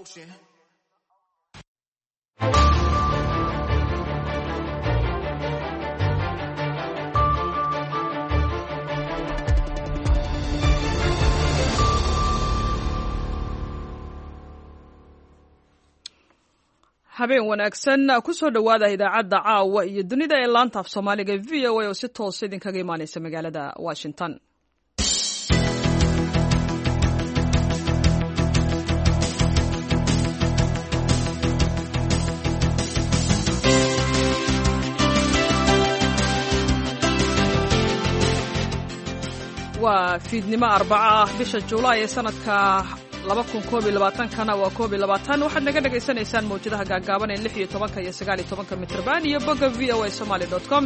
ocean. Habeen wanaagsan, kusoo dhowaada idaacadda caawa iyo dunida ee laanta af Soomaaliga VOA oo si toosa idinkaga imaaneysa magaalada Washington. Waa fiidnimo Arbaca ah, bisha Juulaay ee sanadka kana waa 21. Waxaad naga dhagaysanaysaan mawjadaha gaagaaban ee 16-ka iyo 19-ka mitrban iyo bogga voasomali.com.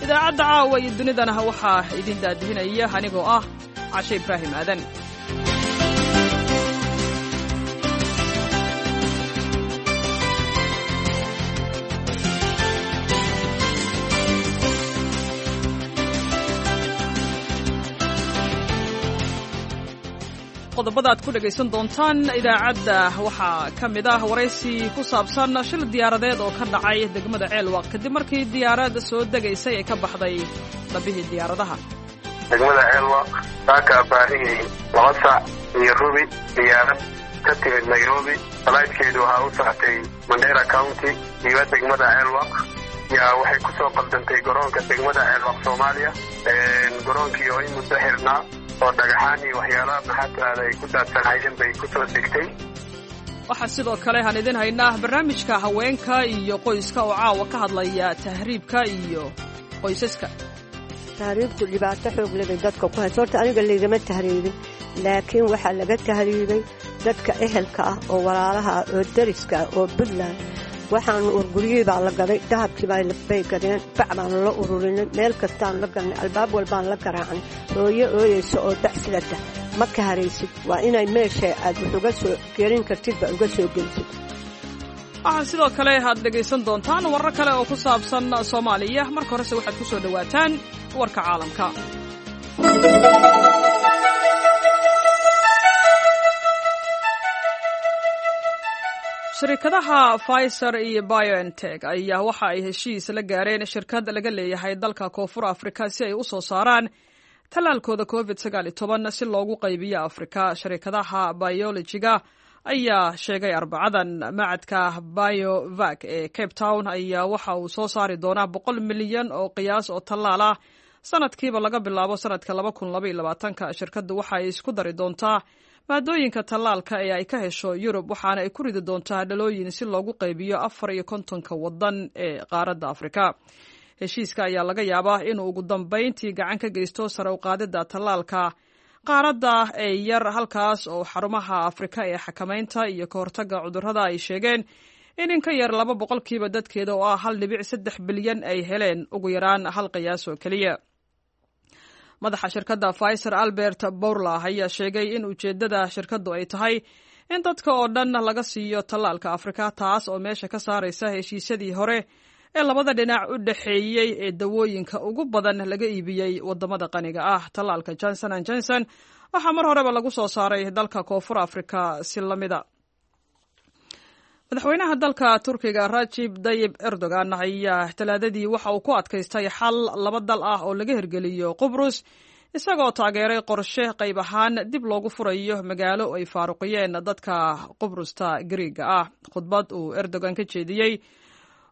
Idaacadda caawa iyo dunidana waxaa idin daadihinaya anigoo ah Cashe Ibraahim Aadan. Qodobada aad ku dhegaysan doontaan idaacadda waxaa ka mid ah waraysi ku saabsan shil diyaaradeed oo ka dhacay degmada Ceelwaaq kadib markii diyaarad soo degaysay ay ka baxday dhabbihii diyaaradaha. Degmada Ceelwaaq saaka abaarihii 2:15 diyaarad ka timid Nairobi, falaydkeedu waxaa u socotay Mandera County iyo degmada Ceelwaaq, yaa waxay ku soo qaldantay garoonka degmada Ceelwaaq Soomaaliya, garoonkii oo in muddo xirnaa oo dhagaxaan iyo waxyaalaha maxaa tiraada ay ku daadsanhayeen bay ku soo degtay. Waxaa sidoo kale aan idin haynaa barnaamijka haweenka iyo qoyska oo caawa ka hadlaya tahriibka iyo qoysaska. Tahriibku dhibaato xoog lebay dadka ku hayso. Horta aniga laygama tahriibin, laakiin waxaa laga tahriibay dadka ehelka ah oo walaalaha ah oo dariska ah oo Puntland. Waxaanu urguryihii baa la gaday, dahabkii bay gadeen, bac baanu la ururinay, meel kastaan la galnay, albaab walbaan la garaacnay. Hooyo ooyeysa oo dacsilata ma ka haraysid, waa inay meesha aad wax uga soo gelin kartidba uga soo gelisid. Waxaa sidoo kale aad dhegaysan doontaan warar kale oo ku saabsan Soomaaliya. Marka horese waxaad ku soo dhowaataan warka caalamka. Shirkadaha Pfizer iyo BioNTech ayaa waxa ay heshiis la gaareen shirkad laga leeyahay dalka Koonfur Afrika si ay u soo saaraan tallaalkooda COVID 19 si loogu qaybiyo Afrika. Shirkadaha biolojiga ayaa sheegay Arbacadan macadka BioVac ee Cape Town ayaa waxa uu soo saari doonaa 100 milyan oo qiyaas oo tallaal ah sanadkiiba laga bilaabo sanadka 2022-ka. Shirkaddu waxa ay isku dari doontaa maadooyinka tallaalka ee ay ka hesho Yurub, waxaana ay ku ridi doontaa dhalooyin si loogu qaybiyo 54-ka waddan ee qaaradda Afrika. Heshiiska ayaa laga yaabaa inuu ugu dambayntii gacan ka geysto sare u qaadidda tallaalka qaaradda ee yar, halkaas oo xarumaha Afrika ee xakamaynta iyo ka hortagga cudurrada ay sheegeen in ka yar 2% dadkeeda oo ah 1.3 bilyan ay heleen ugu yaraan hal qiyaas oo keliya. Madaxa shirkadda Pfizer Albert Bourla ayaa sheegay in ujeeddada shirkaddu ay tahay in dadka oo dhan laga siiyo tallaalka Afrika, taas oo meesha ka saaraysa heshiisyadii hore ee labada dhinac u dhexeeyey ee dawooyinka ugu badan laga iibiyey wadamada qaniga ah. Tallaalka Johnson and Johnson waxaa mar horeba lagu soo saaray dalka Koonfur Afrika si lamida. Madaxweynaha dalka Turkiga Rajib Dayib Erdogan ayaa Talaadadii waxa uu ku adkaystay xal laba dal ah oo laga hirgeliyo Qubrus, isagoo taageeray qorshe qayb ahaan dib loogu furayo magaalo ay faaruqiyeen dadka Qubrusta Gariiga ah. Khudbad uu Erdogan ka jeediyey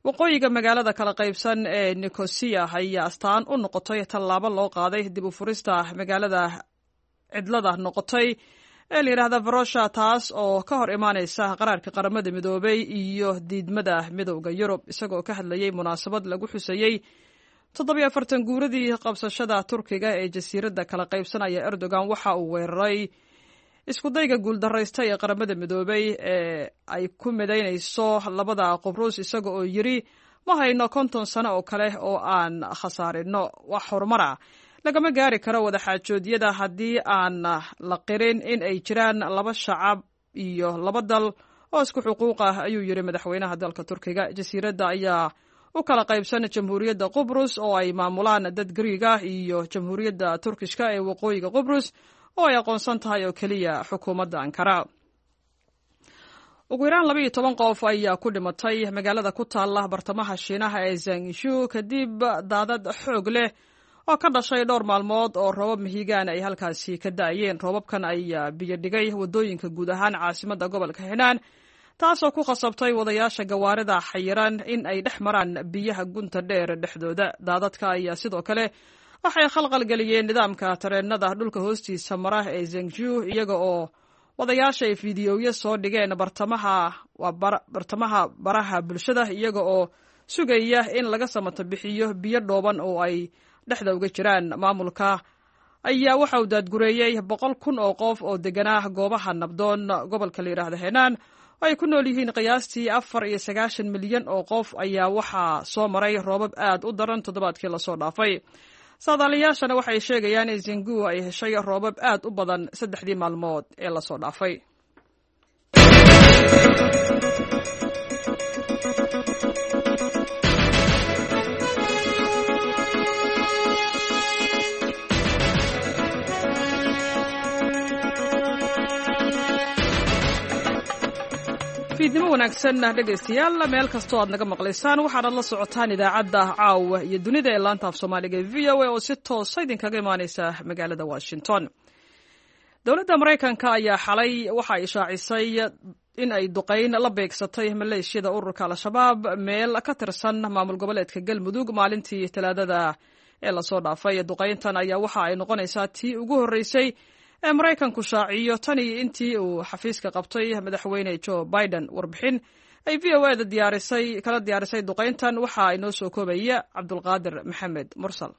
waqooyiga magaalada kala qaybsan ee Nicosia ayaa astaan u noqotay tallaabo loo qaaday dib u furista magaalada cidlada noqotay ee la yidhaahda Varosha, taas oo ka hor imaaneysa qaraarka Qaramada Midoobay iyo diidmada Midowda Yurub. Isagoo ka hadlayey munaasabad lagu xusayey 47 guuradii qabsashada Turkiga ee jasiiradda kala qaybsanaya, Erdogan waxa uu weeraray iskudayga guuldaraysta ee Qaramada Midoobay ee ay ku midaynayso labada Qubrus, isaga oo yiri: "Ma hayno 50 sano oo kale oo aan khasaarino. Wax horumara lagama gaari karo wadaxaajoodyada haddii aan la qirin in ay jiraan laba shacab iyo laba dal oo isku xuquuq ah," ayuu yiri madaxweynaha dalka Turkiga. Jasiiradda ayaa u kala qaybsan Jamhuuriyadda Qubrus oo ay maamulaan dad Gariig ah iyo Jamhuuriyadda Turkishka ee waqooyiga Qubrus oo ay aqoonsan tahay oo keliya xukuumadda Ankara. Ugu yaraan 12 qof ayaa ku dhimatay magaalada ku taalla bartamaha Shiinaha ee Zangishu kadib daadad xoog leh oo ka dhashay dhowr maalmood oo roobab mihigaan ay halkaasi ka da'ayeen. Roobabkan ayaa biyo dhigay waddooyinka guud ahaan caasimadda gobolka Xinaan, taasoo ku khasabtay wadayaasha gawaarida xayiran in ay dhex maraan biyaha gunta dheer dhexdooda. Daadadka ayaa sidoo kale waxay khalqalgeliyeen nidaamka tareenada dhulka hoostiisa mara ee Zengju, iyaga oo wadayaasha ay fiidiyowyo soo dhigeen bartamaha baraha bulshada, iyaga oo sugaya in laga samata bixiyo biyo dhooban oo ay dhexda uga jiraan. Maamulka ayaa waxa uu daadgureeyey 100,000 oo qof oo deganaa goobaha nabdoon. Gobolka la yidhaahda Henaan oo ay ku nool yihiin qiyaastii 94 milyan oo qof ayaa waxaa soo maray roobab aad u daran toddobaadkii lasoo dhaafay. Saadaaliyaashana waxay sheegayaan in Zingu ay heshay roobab aad u badan 3dii maalmood ee lasoo dhaafay. Fiidnimo wanaagsan dhegaystayaal, meel kastoo aad naga maqlaysaan, waxaanad la socotaan idaacadda Caawa iyo Dunida ee laanta af Soomaaliga ee VOA oo si toosa idinkaga imaaneysa magaalada Washington. Dowladda Maraykanka ayaa xalay waxa ay shaacisay in ay duqayn la beegsatay maleeshiyada ururka Al-Shabaab meel ka tirsan maamul goboleedka Galmudug maalintii Talaadada ee lasoo dhaafay. Duqayntan ayaa waxa ay noqonaysaa tii ugu horreysay ee Maraykanku shaaciyo tan iyo intii uu xafiiska qabtay madaxweyne Joe Biden. Warbixin ay VOA da diyaarisay kala diyaarisay duqayntan waxa inoo soo koobaya Cabdulqaadir Maxamed Mursal.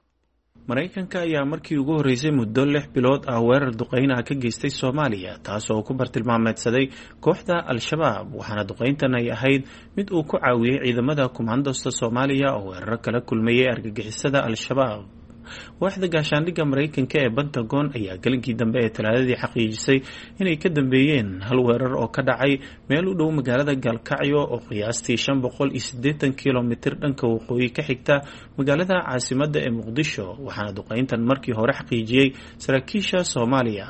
Maraykanka ayaa markii ugu horreysay muddo 6 bilood ah weerar duqeynaha ka geystay Soomaaliya, taas oo ku bartilmaameedsaday kooxda Al-Shabaab, waxaana duqeyntan ay ahayd mid uu ku caawiyey ciidamada kumaandosta Soomaaliya oo weeraro kala kulmayay argagixisada Al-Shabaab. Waaxda gaashaandhigga Maraykanka ee Pentagon ayaa gelinkii dambe ee Talaadadii xaqiijisay inay ka dambeeyeen hal weerar oo ka dhacay meel u dhow magaalada Gaalkacyo oo qiyaastii 580 kilomitir dhanka waqooyi ka xigta magaalada caasimadda ee Muqdisho, waxaana duqeyntan markii hore xaqiijiyey saraakiisha Soomaaliya.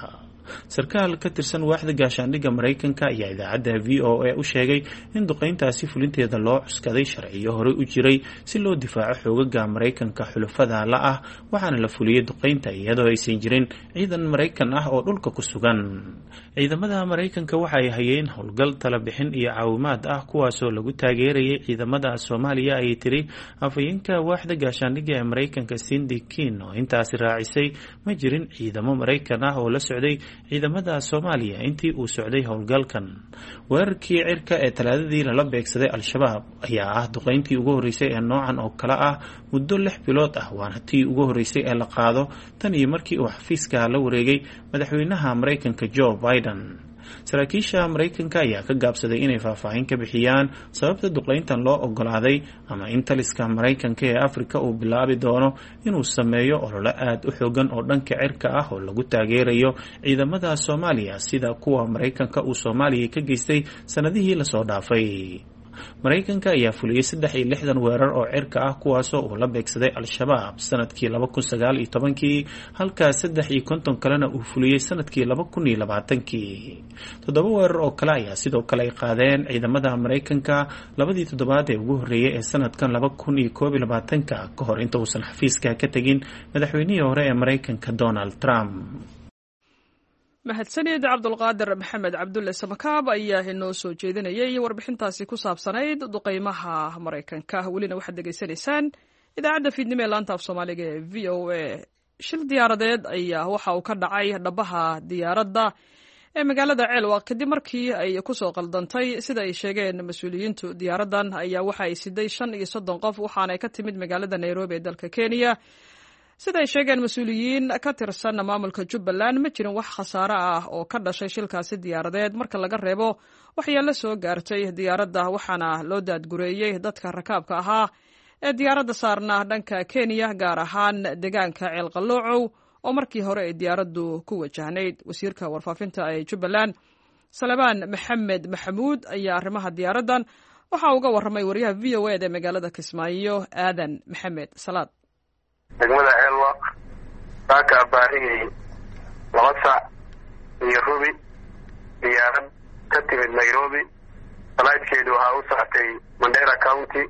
Sarkaal ka tirsan waaxda gaashaandhigga Maraykanka ayaa idaacadda VOA u sheegay in duqeyntaasi fulinteeda loo cuskaday sharciyo horey u jiray si loo difaaco xoogaga Maraykanka xulafada la ah, waxaana la fuliyey duqeynta iyadoo aysan jirin ciidan Maraykan ah oo dhulka ku sugan. Ciidamada Maraykanka waxa ay hayeen howlgal talabixin iyo caawimaad ah, kuwaasoo lagu taageerayay ciidamada Soomaaliya, ayay tiri afhayeenka waaxda gaashaandhigga ee Maraykanka Cindy Kin, oo intaasi raacisay ma jirin ciidamo Maraykan ah oo la socday ciidamada Soomaaliya intii uu socday howlgalkan. Weerarkii cirka ee Talaadadii lala beegsaday Al-Shabaab ayaa ah duqeyntii ugu horreysay ee noocan oo kale ah muddo 6 bilood ah, waana tii ugu horreysay ee la qaado tan iyo markii uu xafiiska la wareegay madaxweynaha Maraykanka Joe Biden. Saraakiisha Maraykanka ayaa ka gaabsaday inay faahfaahin ka bixiyaan sababta duqeyntan loo ogolaaday ama in taliska Maraykanka ee Afrika uu bilaabi doono inuu sameeyo ololo aad u xoogan oo dhanka cirka ah oo lagu taageerayo ciidamada Soomaaliya, sida kuwa Maraykanka uu Soomaaliya ka geystay sanadihii lasoo dhaafay. Maraykanka ayaa fuliyey 63 weerar oo cirka ah, kuwaasoo uu la beegsaday Al-Shabaab sanadkii 2019kii, halka 53 kalena uu fuliyey sanadkii 2020kii. 7 weerar oo kale ayaa sidoo kale ay qaadeen ciidamada Maraykanka labadii toddobaad ee ugu horreeyey ee sanadkan 2021ka, ka hor inta uusan xafiiska ka tegin madaxweynihii hore ee Maraykanka Donald Trump. Mahadsanid Cabdulqaadir Maxamed Cabdulle Samakaab ayaa inoo soo jeedinayay warbixintaasi ku saabsanayd duqeymaha Maraykanka. Welina waxaad degeysanaysaan idaacadda fiidnimo ee laanta af Soomaaliga ee VOA. Shil diyaaradeed ayaa waxa uu ka dhacay dhabaha diyaaradda ee magaalada Ceelwaq kadib markii ay kusoo qaldantay, sida ay sheegeen mas-uuliyiintu. Diyaaraddan ayaa waxa ay siday 35 qof, waxaanay ka timid magaalada Nairobi ee dalka Kenya, sida ay sheegeen mas-uuliyiin ka tirsan maamulka Jubbaland. Ma jirin wax khasaare ah oo ka dhashay shilkaasi diyaaradeed marka laga reebo waxyaalo soo gaartay diyaaradda, waxaana loo daadgureeyey dadka rakaabka ahaa ee diyaaradda saarnaa dhanka Kenya, gaar ahaan deegaanka Ceelqaloocow oo markii hore ay diyaaraddu ku wajahnayd. Wasiirka warfaafinta ee Jubbaland Salabaan Maxamed Maxamuud ayaa arrimaha diyaaraddan waxaa uga warramay wariyaha VOA da ee magaalada Kismaayo, Aadan Maxamed Salaad. Degmada Ceelwaq saaka abaarihii 2:15 diyaarad ka timid Nairobi, Flightkeedu waxaa u socotay Mandera County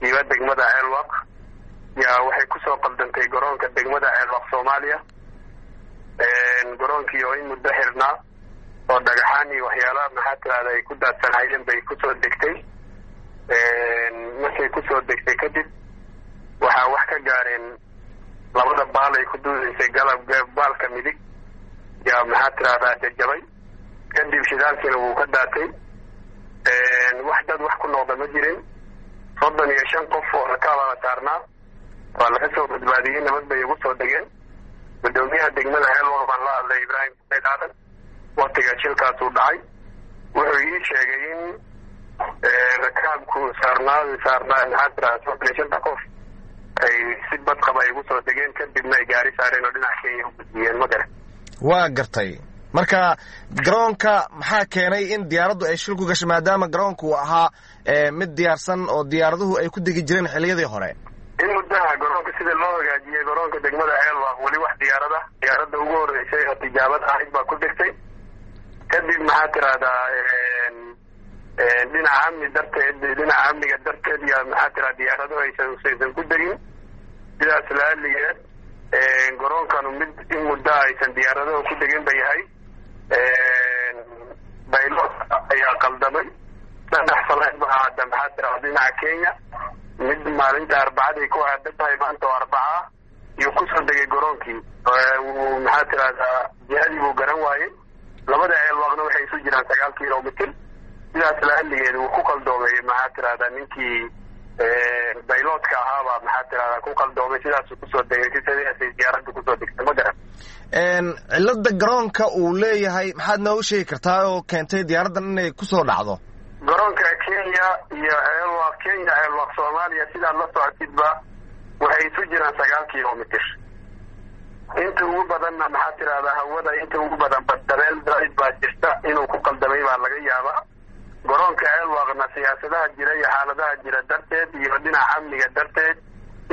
iyo degmada Ceelwaq. Yaa waxay kusoo qaldantay garoonka degmada Ceelwaq Soomaaliya. Garoonkii oo in muddo xirnaa oo dhagaxaan iyo waxyaalaha maxaa tirahda ay ku daadsanayeen bay kusoo degtay. Markay kusoo degtay kadib waxaa wax ka gaareen labada baal ay ku duudaysay, galab baalka midig yaa maxaa tirahdaa jajabay. Kadib shidaalkiina wuu ka daatay. Wax dad wax ku noqda ma jirin. 35 qof oo rakaabaa la saarnaa, waa laga soo badbaadiyey, nabad bay ugu soo degeen. Gudoomiyaha degmada Ceelwaq baan la hadlay, Ibraahim Said Aadan, waktiga shilkaasuu dhacay. Wuxuu ii sheegay in rakaabku saarnaa maxaa tirahdaa 35 qof ay si badqaba ay ugu soo degeen, kadibna ay gaari saareen oo dhinac Kenya u gudbiyeen. Ma garan. Waa gartay. Marka garoonka maxaa keenay in diyaaraddu ay shil ku gashay, maadaama garoonku uu ahaa mid diyaarsan oo diyaaraduhu ay ku degi jireen xilliyadii hore? In muddaha garoonka sida loo hagaajiyey garoonka degmada Ceelwaq weli wax diyaarada diyaaradda ugu horreysay oo tijaabad ahayd baa ku degtay. Kadib maxaa tirahdaa dhinaca amni darteed, dhinaca amniga darteed yaa maxaa tirahda diyaaraduhu aysan ku degin. Sidaas laaligeed garoonkanu mid in muddo aysan diyaaraduhu ku degin ba yahay. Baylot ayaa qaldamay. Saddex falayd baa aada maxaa tirahda dhinaca Kenya. Mid maalinta Arbacadii ku aada tahay, maanta oo Arbaca iyuu kusoo degay garoonkii. Maxaa tirahdaa jihadii buu garan waayey. Labada Ceelwaaqna waxay isu jiraan 9 kilomitr. Sidaas laaligeed wuu ku qaldoomay, maxaa tirahdaa ninkii bayloodka ahaabaa maxaa tirahdaa ku qaldoomay, sidaasuu kusoo degay, sidaasay diyaaradda kusoo degtay. Ma garan. Cilada garoonka uu leeyahay maxaad noogu sheegi kartaa oo keentay diyaaraddan inay kusoo dhacdo? Garoonka Kenya iyo Ceelwaq, Kenya Ceelwaq Soomaaliya, sidaad la socotidba waxay isu jiraan 9 kilomitr. Inta ugu badanna maxaa tirahdaa hawada inta ugu badan dabeel daaid baa jirta, inuu ku qaldamay baa laga yaabaa. Garoonka Ceelwaqna siyaasadaha jira iyo xaaladaha jira darteed iyo dhinaca amniga darteed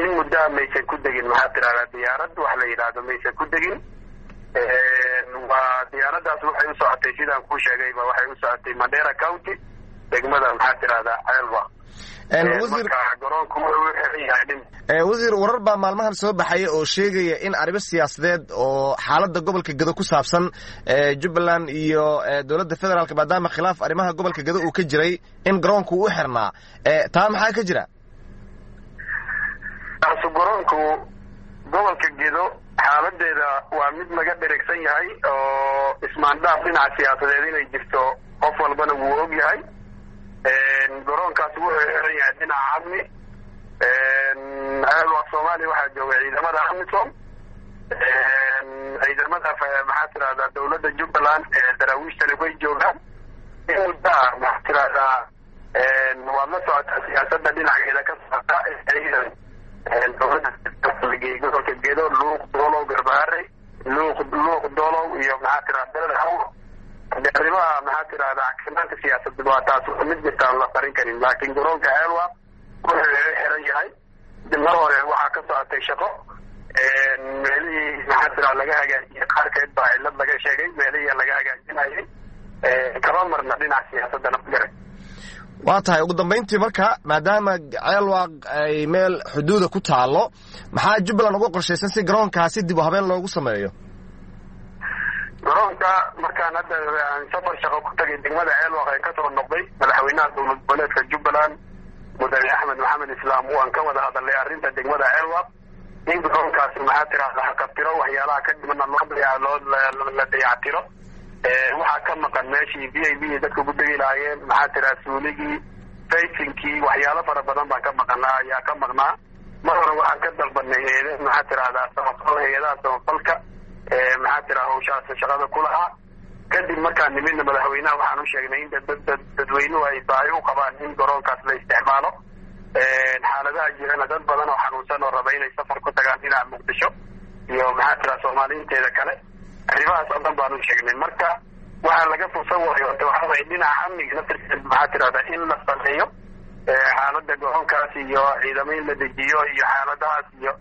in muddaha maysan ku degin, maxaa tirahdaa diyaarad wax la yidhaahdo maysan ku degin. Waa diyaaraddaas waxay u socotay, sidaan kuu sheegayba, waxay u socotay Mandera County, degmada maxaa tirahdaa Ceelwaq. Marka garoonku wuxuu u xiran yahay. Wasiir, warar baa maalmahan soo baxaya oo sheegaya in arrimo siyaasadeed oo xaaladda gobolka Gedo ku saabsan Jubbaland iyo dowladda federaalk, maadaama khilaaf arrimaha gobolka Gedo uu ka jiray, in garoonku u xirnaa. Taa maxaa ka jira? Taasu garoonku gobolka Gedo xaaladeeda waa mid laga dheregsan yahay oo ismaandhaaf dhinaca siyaasadeed inay jirto qof walbana wuu og yahay. Garoonkaas wuxuu xiran yahay dhinaca amni. Ceelwaq Soomaaliya waxaa jooga ciidamada AMISOM, ciidamada maxaa tirahdaa dowladda Jubbaland ee daraawiishtani way joogaan in muddaa. Maxaa tirahdaa waad la socotaa siyaasadda dhinaceeda ka socota ciidan dowladda lageeyey gobolka Gedo, Luuq Doolow, Garbaare, Luuq Doolow iyo maxaa tirahda Beled Haw. Arrimaha maxaa tirahdaa cagsimaanta siyaasadda waa taas mid jirta aan la qarin karin, laakiin garoonka Ceelwaq wuxuu xiran yahay. Mar hore waxaa ka socotay shaqo, meelihii maxaa tiraa laga hagaajiyey qaarkeed baa cillad laga sheegay, meelihii laga hagaajinayay kama marna dhinaca siyaasaddana, ma garan. Waa tahay. Ugu dambayntii marka, maadaama Ceelwaq ay meel xuduuda ku taalo, maxaa Jubbaland uga qorshaysan si garoonkaasi dib u habeen loogu sameeyo? Garoonka markaan hadda aan safar shaqo ku tagay degmada Ceelwaq ee kasoo noqday, madaxweynaha dowlad goboleedka Jubbaland Mudane Axmed Maxamed Islaam waan ka wada hadalnay arrinta degmada Ceelwaq, in garoonkaasi maxaa tirahda haqabtiro waxyaalaha ka dhimana loo la dayactiro. Waxaa ka maqan meeshii V I B dadka ku degi lahaayeen, maxaa tiraa suuligii, faysinkii, waxyaalo fara badan baa ka maqanaa ayaa ka maqnaa. Mar hore waxaan ka dalbanay eede maxaa tirahdaa samafal, hay-adaha samafalka maxaa tiraa hawshaas shaqada ku lahaa. Kadib markaan nimidna madaxweynaha waxaan u sheegnay in dadweynuhu ay baahi u qabaan in garoonkaas la isticmaalo. Xaaladaha jirana dad badan oo xanuunsan oo raba inay safar ku tagaan dhinaca Muqdisho iyo maxaa tiraa Soomaaliinteeda kale, arrimahaas oo dhan baan u sheegnay. Marka waxaa laga fursan waayo horta waxaa waye dhinaca amniga naftirkeed maxaa tirahdaa in la sameeyo xaaladda garoonkaas iyo ciidamo in la dejiyo iyo xaaladahaas iyo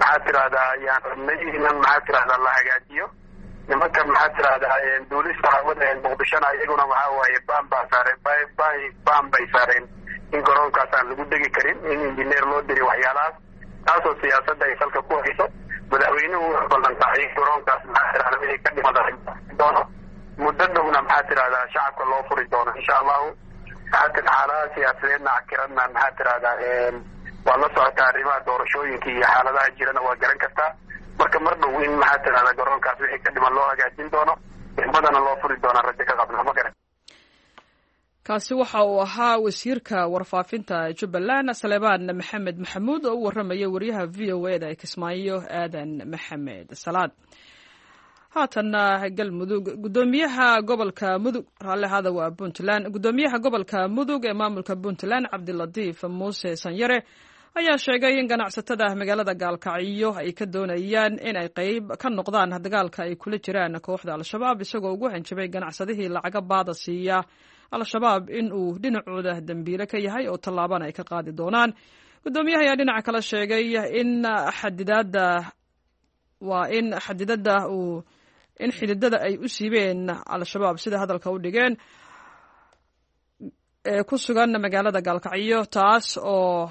maxaa tirahdaa ayaan rabnay inan maxaa tirahdaa la hagaajiyo. Nimanka maxaa tirahdaa duulista hawada Muqdishona iyaguna waxaa waaye baan baa saareen, baan bay saareen in garoonkaas aan lagu degi karin, in injineer loo diri waxyaalahaas, taasoo siyaasadda ay salka ku hayso. Madaxweynuhu wuxuu ballanqaaday garoonkaas maxaa tirahda wixii ka dhimada doono muddo dhowna maxaa tirahdaa shacabka loo furi doono insha allahu. Maxaa tir xaaladaha siyaasadeedna cakiradna maxaa tirahdaa waa la socotaa, arrimaha doorashooyinka iyo xaaladaha jirana waa garan kartaa. Marka mar dhow in maxaa tirahdaa garoonkaas wixii ka dhiman loo hagaajin doono, degmadana loo furi doona rajo ka qabna, ma garan. Kaasi waxa uu ahaa wasiirka warfaafinta Jubbaland Saleebaan Maxamed Maxamuud oo u warramaya wariyaha v o e da ee Kismaayo Aadan Maxamed Salaad. Haatanna Galmudug. Gudoomiyaha gobolka Mudug, raalli ahaada, waa Puntland. Gudoomiyaha gobolka Mudug ee maamulka Puntland Cabdilatiif Muuse Sanyare ayaa sheegay in ganacsatada magaalada Gaalkacyo ay ka doonayaan in ay qeyb ka noqdaan dagaalka ay kula jiraan kooxda Al-Shabaab, isagoo ugu hanjabay ganacsadihii lacaga baada siiya Al-Shabaab in uu dhinacooda dembiile ka yahay oo tallaabana ay ka qaadi doonaan. Gudoomiyaha ayaa dhinaca kale sheegay in xadidaada waa in xadidada uu in xididada ay u siibeen Al-Shabaab, sida hadalka u dhigeen, ee ku sugan magaalada Gaalkacyo, taas oo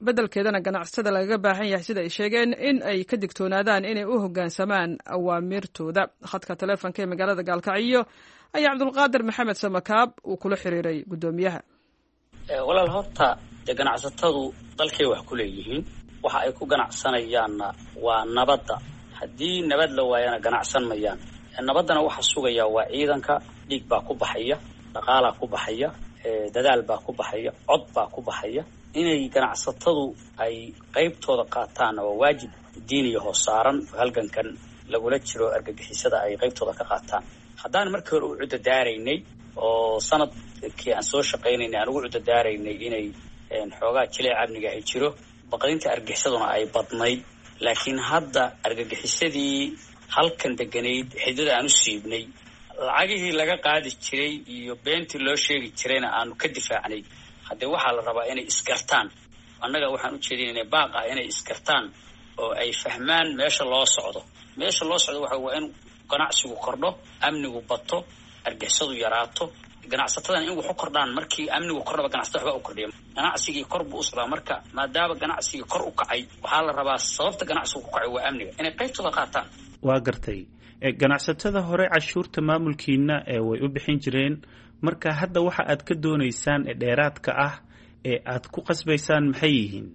beddelkeedana ganacsatada lagaga baahan yahay, sida ay sheegeen, in ay ka digtoonaadaan inay u hoggaansamaan awaamirtooda. Khadka taleefonka ee magaalada Gaalkacyo ayaa Cabdulqaadir Maxamed Samakaab uu kula xiriiray guddoomiyaha. Walaal, horta dee ganacsatadu dalkay wax ku leeyihiin, waxa ay ku ganacsanayaanna waa nabadda. Haddii nabad la waayana ganacsan mayaan. Nabaddana waxa sugaya waa ciidanka. Dhiig baa ku baxaya, dhaqaalaa ku baxaya, dadaal baa ku baxaya, cod baa ku baxaya. Inay ganacsatadu ay qaybtooda qaataanna waa waajib diiniya hoo saaran, halgankan lagula jiro argagixisada ay qaybtooda ka qaataan. Haddaan markii hore u cudadaaraynay oo sanadkii aan soo shaqaynaynay aan ugu cudadaaraynay inay xoogaa jileec amniga ay jiro, baqdinta argagixisaduna ay badnayd, laakiin hadda argagixisadii halkan deganayd xididada aan u siibnay, lacagihii laga qaadi jiray iyo beentii loo sheegi jirayna aanu ka difaacnay, haddee waxaa la rabaa inay isgartaan. Annaga waxaan u jeedinaynaa baaq ah inay isgartaan oo ay fahmaan meesha loo socdo. Meesha loo socdo waxa waa in ganacsigu kordho, amnigu bato, argixisadu yaraato, ganacsatadana in wax u kordhaan. Markii amnigu kordhaba ganacsatada waxba u kordhiya, ganacsigii kor buu u socdaa. Marka maadaama ganacsigii kor u kacay, waxaa la rabaa sababta ganacsigu ku kacay waa amniga inay qaybtooda qaataan. Waa gartay. Ganacsatada hore cashuurta maamulkiina ee way u bixin jireen, marka hadda waxa aad ka doonaysaan ee dheeraadka ah ee aad ku qasbaysaan maxay yihiin?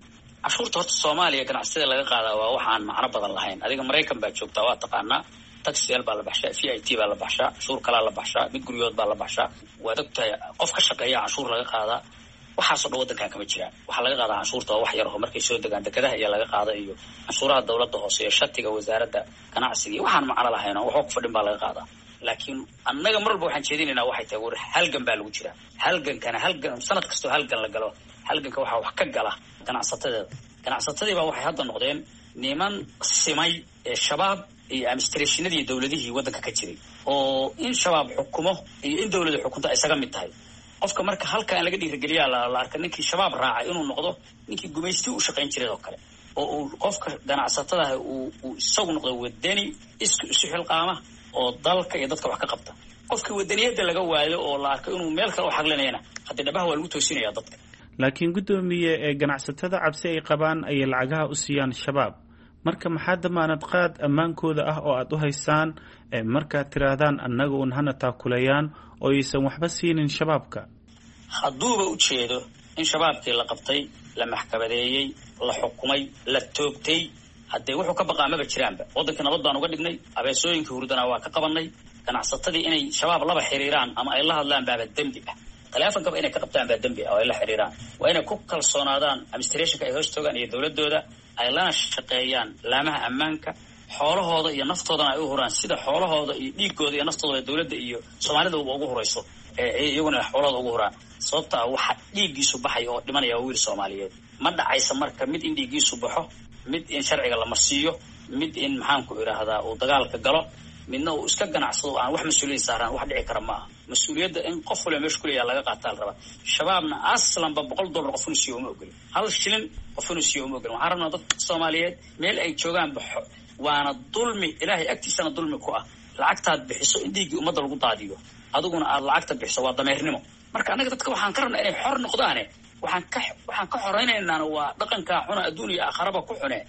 Cashuurta horta Soomaaliya ganacsatada laga qaadaa waa wax aan macno badan lahayn. Adiga Maraykan baa joogtaa, waa taqaanaa, taxiyal baa la baxshaa, v i t baa la baxshaa, cashuur kalaa la baxshaa, mid guryood baa la baxshaa. Waad ogtahay qof ka shaqeeya canshuur laga qaadaa. Waxaasoo dhan waddankan kama jiraan. Waxaa laga qaadaa canshuurta waa wax yar oo markay soo degaan dekedaha iyo laga qaada iyo canshuuraha dowladda hoose iyo shatiga wasaaradda ganacsiga iyo waxaan macno lahayn oo waxba ku fadhin baa laga qaadaa. Laakiin annaga mar walba waxaan jeedinaynaa waxay tahay, war halgan baa lagu jiraa. Halgankana halgan sanad kastoo halgan la galo, halganka waxaa wax ka gala ganacsatadeeda. Ganacsatadii baa waxay hadda noqdeen niman simay ee Shabaab iyo administrationadii dowladihii waddanka ka jiray, oo in Shabaab xukumo iyo in dowladu xukunto ay isaga mid tahay qofka. Marka halka in laga dhiirigeliyaa la arka ninkii Shabaab raacay inuu noqdo ninkii gumaystii u shaqayn jiray oo kale, oo uu qofka ganacsatadaah uu isagu noqdo wadani isku isu xilqaama oo dalka iyo dadka wax ka qabta. Qofkii wadaniyadda laga waayo oo la arko inuu meel kale u xaglinayana, haddii dhabaha waa lagu toosinaya dadka. Laakiin guddoomiye, ee ganacsatada cabsi ay qabaan ayay lacagaha u siiyaan Shabaab. Marka maxaa damaanad qaad ammaankooda ah oo aada u haysaan markaad tiraahdaan annaga un hana taakulayaan oo aysan waxba siinin Shabaabka? Hadduuba u jeedo in Shabaabkii la qabtay, la maxkamadeeyey, la xukumay, la toogtay, haddee wuxuu ka baqaa maba jiraanba. Waddankii nabad baan uga dhignay, abeesooyinkii hurdana waa ka qabanay. Ganacsatadii inay Shabaab laba xiriiraan ama ay la hadlaan baaba dembi ah, taleefonkaba inay ka qabtaan baa dembi ah oo ay la xiriiraan. Waa inay ku kalsoonaadaan administrationka ay hoos toogaan iyo dowladooda, ay lana shaqeeyaan laamaha ammaanka, xoolahooda iyo naftoodana ay u huraan, sida xoolahooda iyo dhiigooda iyo naftooda dowladda iyo Soomaalida ugu hurayso iyaguna xoolahooda ugu huraan. Sababta ah waxa dhiiggiisu baxaya oo dhimanaya waa wiil Soomaaliyeed. Ma dhacaysa marka mid in dhiiggiisu baxo, mid in sharciga la marsiiyo, mid in maxaanku idhaahdaa uu dagaalka galo, midna uu iska ganacsado aan wax mas-uuliyad saaraan, wax dhici kara ma aha. Mas-uuliyadda in qof waliba meesha kuleeyaha laga qaataa la rabaa. Shabaabna aslanba $100 qof inuu siiyo uma ogolin, hal shilin qof inuu siiyo uma ogolin. Waxaan rabnaa dadka Soomaaliyeed meel ay joogaan baxo, waana dulmi, Ilaahay agtiisana dulmi ku ah. Lacagtaad bixiso in dhiiggii ummadda lagu daadiyo, adiguna aad lacagta bixiso, waa dameernimo. Marka annaga dadka waxaan ka rabnaa inay xor noqdaane, waxaan ka xoreynaynaana waa dhaqankaa xuna, adduun iyo aakharaba ku xune.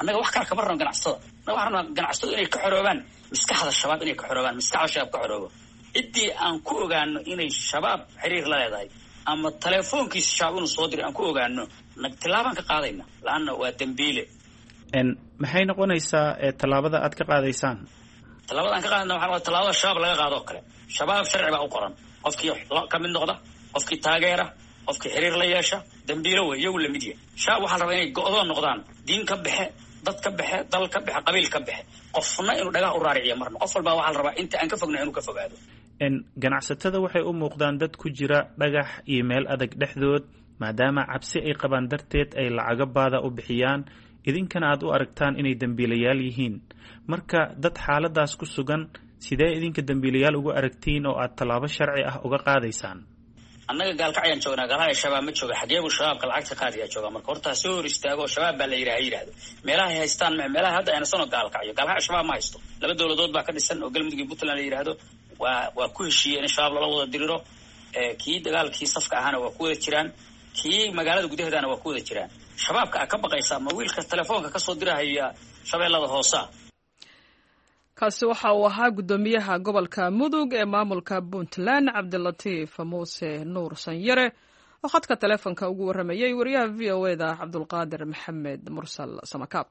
Annaga wax kale kama rabno ganacsatada. Annaga waxaan rabnaa ganacsatadu inay ka xoroobaan maskaxda shabaab, inay ka xoroobaan maskaxda shabaab ka xoroobo. Ciddii aan ku ogaano inay shabaab xiriir la leedahay ama telefoonkiisa shabaab inuu soo diray aan ku ogaano, tillaabaan ka qaadayna, laanna waa dembiile. Maxay noqonaysaa tallaabada aad ka qaadaysaan? Tallaabada aan ka qaadayna waxaa tallaabada shabaab laga qaado oo kale. Shabaab sharci baa u qoran, qofkii ka mid noqda, qofkii taageera, qofkii xiriir la yeesha, dembiilo wey, iyagu lamid yahay. Shabaab waxaa la rabaa inay go'doon noqdaan, diin ka baxe, dad ka baxe, dal ka baxe, qabiil ka baxe, qofna inuu dhagaha u raariciyo marna. Qof walbaa waxaa la rabaa inta aan ka fogna inuu ka fogaado. Ganacsatada waxay u muuqdaan dad ku jira dhagax iyo meel adag dhexdood, maadaama cabsi ay qabaan darteed ay lacago baada u bixiyaan, idinkana aad u aragtaan inay dembiilayaal yihiin. Marka dad xaaladaas ku sugan, sidee idinka dembiilayaal ugu aragtiin oo aad tallaabo sharci ah uga qaadaysaan? Annaga gaalkacyaan joognaa, gaalkacya shabaab ma jooga. Xageebuu shabaabka lacagta qaadayaa joogaa? Marka horta ha soo hor istaago, shabaab baa la yidhaha ha yidhaahdo meelahay haystaan, meelaha hadda aynasanoo gaalkacyo. Gaalkacyo shabaab ma haysto, laba dowladood baa ka dhisan oo Galmudug iyo Puntland la yidhaahdo. Waa ku heshiiyey in shabaab lala wada diriro. Kii dagaalkii safka ahaana waa ku wada jiraan, kii magaalada gudaheedana waa ku wada jiraan. Shabaabka a ka baqaysa ma wiilka telefoonka kasoo dirahaya shabeellada hoosa? Kaasi waxa uu ahaa guddoomiyaha gobolka Mudug ee maamulka Puntland, Cabdilatiif Muuse Nuur Sanyare, oo khadka telefoonka ugu warramayay wariyaha v o e da Cabdulqaadir Maxamed Mursal Samakaab.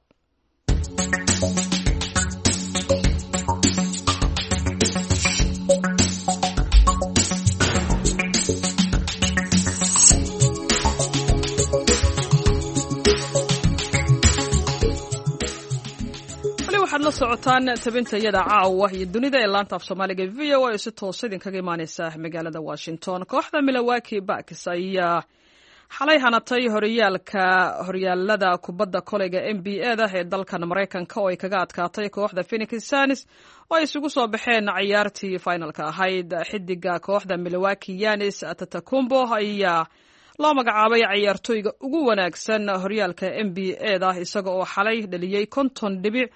Waxaad la socotaan tabinta iyada caawa iyo dunida ee laanta af Soomaaliga v o a oo si toosa idinkaga imaaneysa magaalada Washington. Kooxda Milwaukee Bucks ayaa xalay hanatay horyaalka horyaalada kubadda koleyga N B A da ee dalkan Maraykanka, oo ay kaga adkaatay kooxda Phoenix Suns oo ay isugu soo baxeen ciyaartii finalka ahayd. Xidiga kooxda Milwaukee, Giannis Antetokounmpo, ayaa loo magacaabay ciyaartooyga ugu wanaagsan horyaalka N B A da, isaga oo xalay dhaliyey 50 dhibic,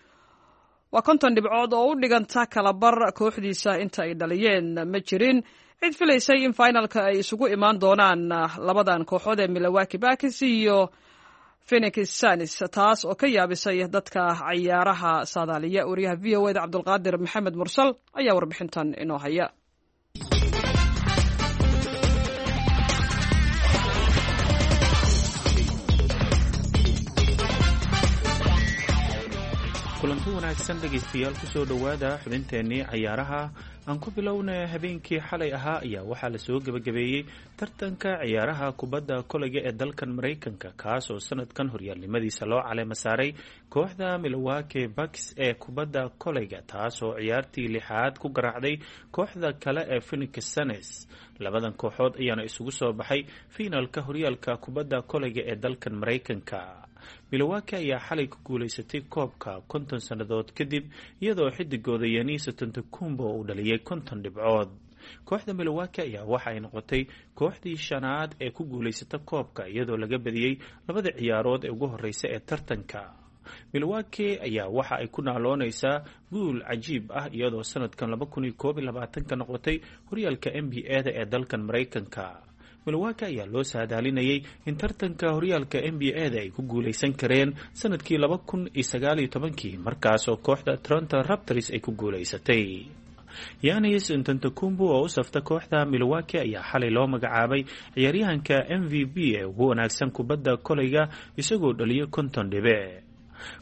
waa 50 dhibcood oo u dhiganta kalabar kooxdiisa inta ay dhaliyeen. Ma jirin cid filaysay in finalka ay isugu imaan doonaan labadan kooxood ee Milwaukee Bucks iyo Phoenix Suns, taas oo ka yaabisay dadka cayaaraha saadaaliya. Wariyaha v o e da Cabdulqaadir Maxamed Mursal ayaa warbixintan inoo haya. Kulanti wanaagsan dhegaystayaal, kusoo dhowaada xubinteennii cayaaraha. Aan ku bilowna, habeenkii xalay ahaa ayaa waxaa lasoo gebagabeeyey tartanka ciyaaraha kubadda koleyga ee dalkan Maraykanka, kaas oo sanadkan horyaalnimadiisa loo caleema saaray kooxda Milwaukee Bucks ee kubadda koleyga, taas oo ciyaartii lixaad ku garaacday kooxda kale ee Phoenix Suns. Labadan kooxood ayaana isugu soo baxay fiinalka horyaalka kubadda koleyga ee dalkan Maraykanka. Milwaukee ayaa xalay ku guulaysatay koobka 50 sannadood kadib, iyadoo xidigooda Giannis Antetokounmpo uu dhaliyay 50 dhibcood. Kooxda Milwaukee ayaa waxa ay noqotay kooxdii shanaad ee ku guulaysata koobka, iyadoo laga badiyey labada ciyaarood ee ugu horeysa ee tartanka. Milwaukee ayaa waxa ay ku naaloonaysaa guul cajiib ah, iyadoo sanadkan 2021-ka noqotay horyaalka N B A da ee dalkan Maraykanka. Milwaukee ayaa loo saadaalinayay in tartanka horyaalka N B A da ay ku guulaysan kareen sanadkii 2019-kii, markaas oo kooxda Toronto Raptors ay ku guulaysatay. Giannis Antetokounmpo oo u safta kooxda Milwaukee ayaa xalay loo magacaabay ciyaaryahanka M V P ee ugu wanaagsan kubadda koleyga, isagoo dhaliyo 50 dhibic.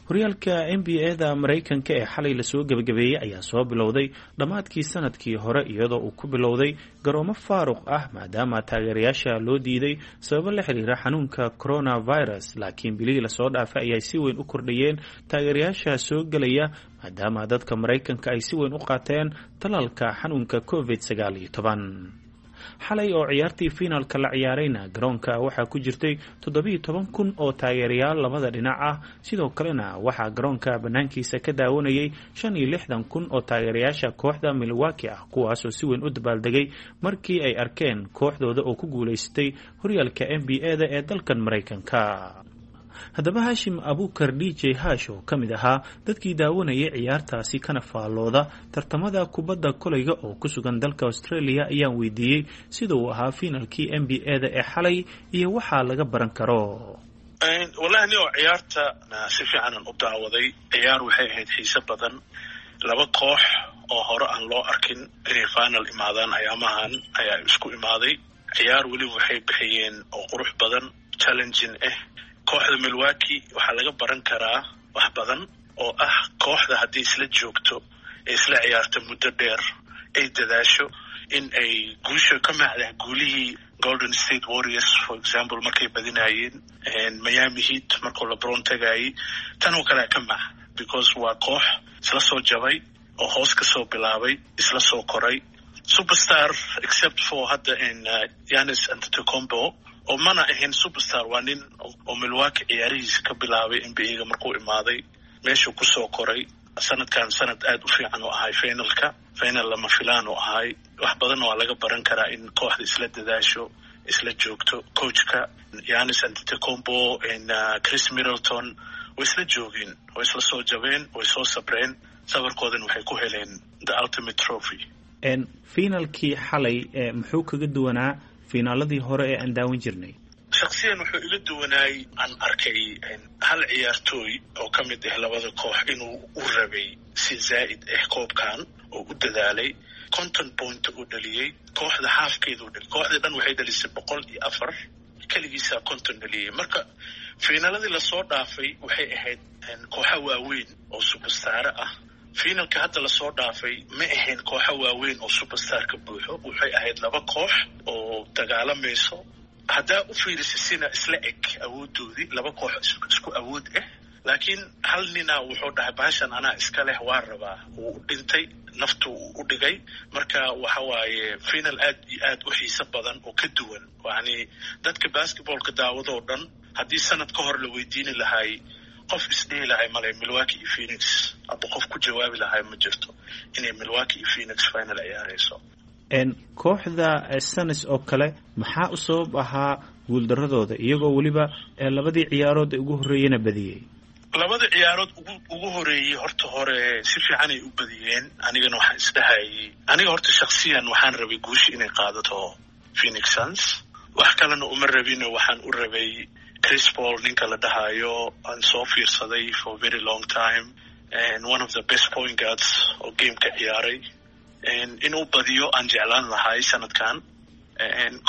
Horyaalka N B A da Maraykanka ee xalay lasoo gebagabeeyey ayaa soo bilowday dhammaadkii sanadkii hore, iyadoo uu ku bilowday garoomo faaruq ah, maadaama taageerayaasha loo diiday sababo la xiriira xanuunka coronavirus. Laakiin bilihii lasoo dhaafay ayay si weyn u kordhayeen taageerayaasha soo gelaya, maadaama dadka Maraykanka ay si weyn u qaateen talaalka xanuunka COVID 19. Xalay oo ciyaartii fiinalka la ciyaarayna, garoonka waxaa ku jirtay 17,000 oo taageerayaal labada dhinac ah. Sidoo kalena waxaa garoonka banaankiisa ka daawanayay 65,000 oo taageerayaasha kooxda Milwaukee ah, kuwaasoo si weyn u dabaaldegay markii ay arkeen kooxdooda oo ku guulaysatay horyaalka N B A da ee dalkan Maraykanka. Haddaba Haashim Abuukar D J Hash oo ka mid ahaa dadkii daawanayay ciyaartaasi kana faallooda tartamada kubadda kolayga oo ku sugan dalka Australia ayaan weydiiyey sida uu ahaa fiinalkii N B A da ee xalay iyo waxaa laga baran karo. Wallahi nio ciyaarta si fiicanan u daawaday. Ciyaar waxay ahayd xiise badan, laba koox oo hore aan loo arkin inay final imaadaan ayaamahan ayaa isku imaaday. Ciyaar weliba waxay bixiyeen oo qurux badan, challenging ah. Kooxda Milwaukee waxaa laga baran karaa wax badan oo ah kooxda haddii isla joogto ee isla ciyaarto muddo dheer ay dadaasho in ay guusha ka macdah guulihii Golden State Warriors for example markay badinayeen, Miami Heat markuu LeBron tagayay, tan oo kalea ka mac, because waa koox isla soo jabay oo hoos ka soo bilaabay, isla soo koray, superstar except for hadda Giannis Antetokounmpo oo mana ahayn superstar, waa nin oo Milwaukee ciyaarihiisa ka bilaabay N B A-ga markuu imaaday, meeshuu kusoo koray. Sanadkan sanad aad u fiican oo ahay, finalka final lama filaan oo ahay. Wax badanna waa laga baran karaa in kooxda isla dadaasho, isla joogto. Coachka Giannis Antetokounmpo, Chris Middleton way isla joogeen, way isla soo jabeen, way soo sabreen, sabarkoodana waxay ku heleen the ultimate trophy. Finalkii xalay muxuu kaga duwanaa finaaladii hore ee aan daawan jirnay? Shaksiyan wuxuu iga duwanaay, aan arkay hal ciyaartooy oo ka mid ah labada koox inuu u rabay si zaa'id ah koobkan oo u dadaalay, 50 point uu dhaliyey, kooxda haafkeeda u dhaliyay. Kooxda dhan waxay dhalisay 104, keligiisaa 50 dhaliyey. Marka fiinaladii lasoo dhaafay waxay ahayd kooxo waaweyn oo superstare ah. Fiinalka hadda lasoo dhaafay ma ahayn kooxo waaweyn oo superstar ka buuxo, waxay ahayd laba koox oo dagaalamayso. Haddaa u fiirisa sina isla eg awoodoodii, laba koox isku awood ah, laakiin hal nina wuxuu dhahay bahashan anaa iska leh, waa rabaa, wuu u dhintay, naftu u dhigay. Marka waxa waaye final aad iyo aad u xiiso badan oo ka duwan, yacni dadka basketballka daawadoo dhan haddii sanad ka hor la weydiini lahay, qof isdhihi lahay male Milwaukee iyo Phoenix, aba qof ku jawaabi lahay ma jirto inay Milwaukee iyo Phoenix final ciyaarayso. Kooxda Suns oo kale maxaa u sabab ahaa guuldaradooda, iyagoo weliba labadii ciyaarood ee ugu horreeyena badiyey? Labada ciyaarood ugu horeeyey horta hore si fiicanay u badiyeen. Anigana waxaan isdhahayay, aniga horta shaksiyan waxaan rabay guusha inay qaadato Phoenix Suns, wax kalena uma rabino, waxaan u rabay Chris Paul ninka la dhahayo aan soo fiirsaday for very long time and one of the best point guards oo gameka ciyaaray inuu badiyo aan jeclaan lahay sanadkan.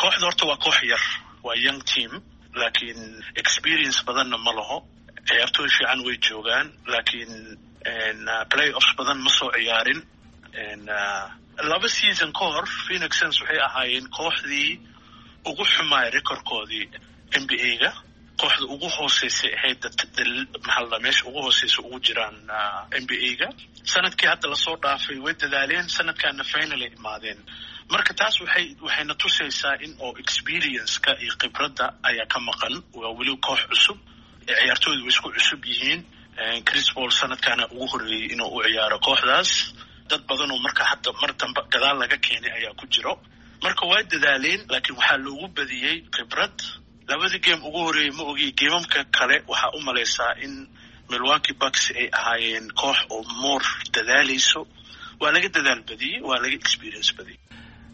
Kooxda horta waa koox yar, waa young team, laakiin experience badanna ma laho. Ciyaartooy fiican way joogaan, laakiin playoffs badan ma soo ciyaarin. Laba season ka hor Phoenix Suns waxay ahaayeen kooxdii ugu xumaay recordkoodii N B A-ga, kooxda ugu hooseysay ahayd, maxaa la meesha ugu hooseysa ugu jiraan N B A-ga. Sanadkii hadda lasoo dhaafay way dadaaleen, sanadkaana final ay imaadeen. Marka taas waxayna tusaysaa in oo experience-ka iyo khibradda ayaa ka maqan. Waa weli koox cusub, ciyaartooydu way isku cusub yihiin. Chris Paul sanadkaana ugu horreeyey inuu u ciyaaro kooxdaas, dad badan oo marka hadda mar dambe gadaal laga keenay ayaa ku jiro. Marka waa dadaaleen, laakiin waxaa loogu badiyey khibrad. Labadii game ugu horreeyey ma ogi, geemamka kale waxaa u malaysaa in Milwaukee Bucks ay ahaayeen koox oo more dadaalayso. Waa laga dadaal badiyey, waa laga experience badiyey.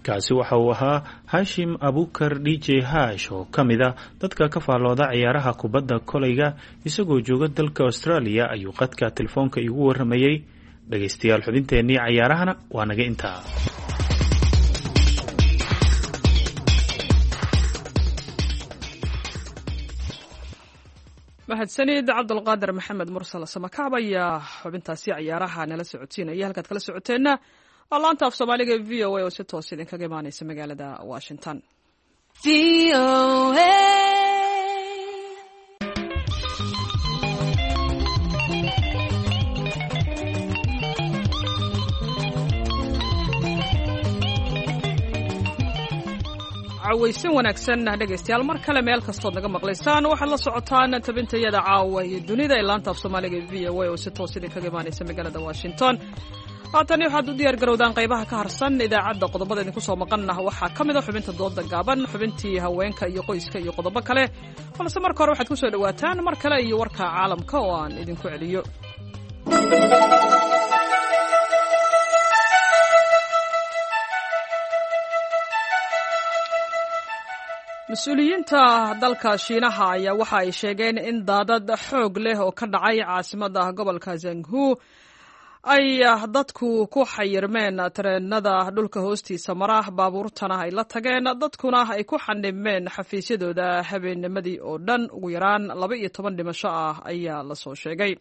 Kaasi waxa uu ahaa Haashim Abuukar D J Hash oo ka mid ah dadka ka faallooda ciyaaraha kubadda kolayga, isagoo jooga dalka Australia ayuu qadka telefoonka iigu warramayey. Dhegaystayaal, xubinteennii cayaarahana waa naga intaa. Mahadsanid Cabdulqaadir Maxamed Mursal Samakaab ayaa xubintaasi ciyaaraha nala socodsiinaya. Halkaad kala socoteenna waa laanta af Soomaaliga e V O A oo si toos idinkaga imaaneysa magaalada Washington. Cawaysan wanaagsan dhegaystayaal, mar kale meel kastood naga maqlaysaan, waxaad la socotaan tabintayada caawa iyo dunida ee laanta af Soomaaliga e V O A oo si toos idinkaga imaaneysa magaalada Washington. Haatani waxaad u diyaar garowdaan qaybaha ka harsan idaacadda. Qodobada idinku soo maqanna waxaa ka mid a xubinta dooda gaaban, xubintii haweenka iyo qoyska iyo qodobo kale, balse marka hore waxaad ku soo dhowaataan mar kale iyo warka caalamka oo aan idinku celiyo. Mas-uuliyiinta dalka Shiinaha ayaa waxa ay sheegeen in daadad xoog leh oo ka dhacay caasimadda gobolka Zanghu ay dadku ku xayirmeen tareenada dhulka hoostiisa mara, baabuurtana ay la tageen, dadkuna ay ku xanibmeen xafiisyadooda habeennimadii oo dhan. Ugu yaraan 12 dhimasho ah ayaa lasoo sheegay.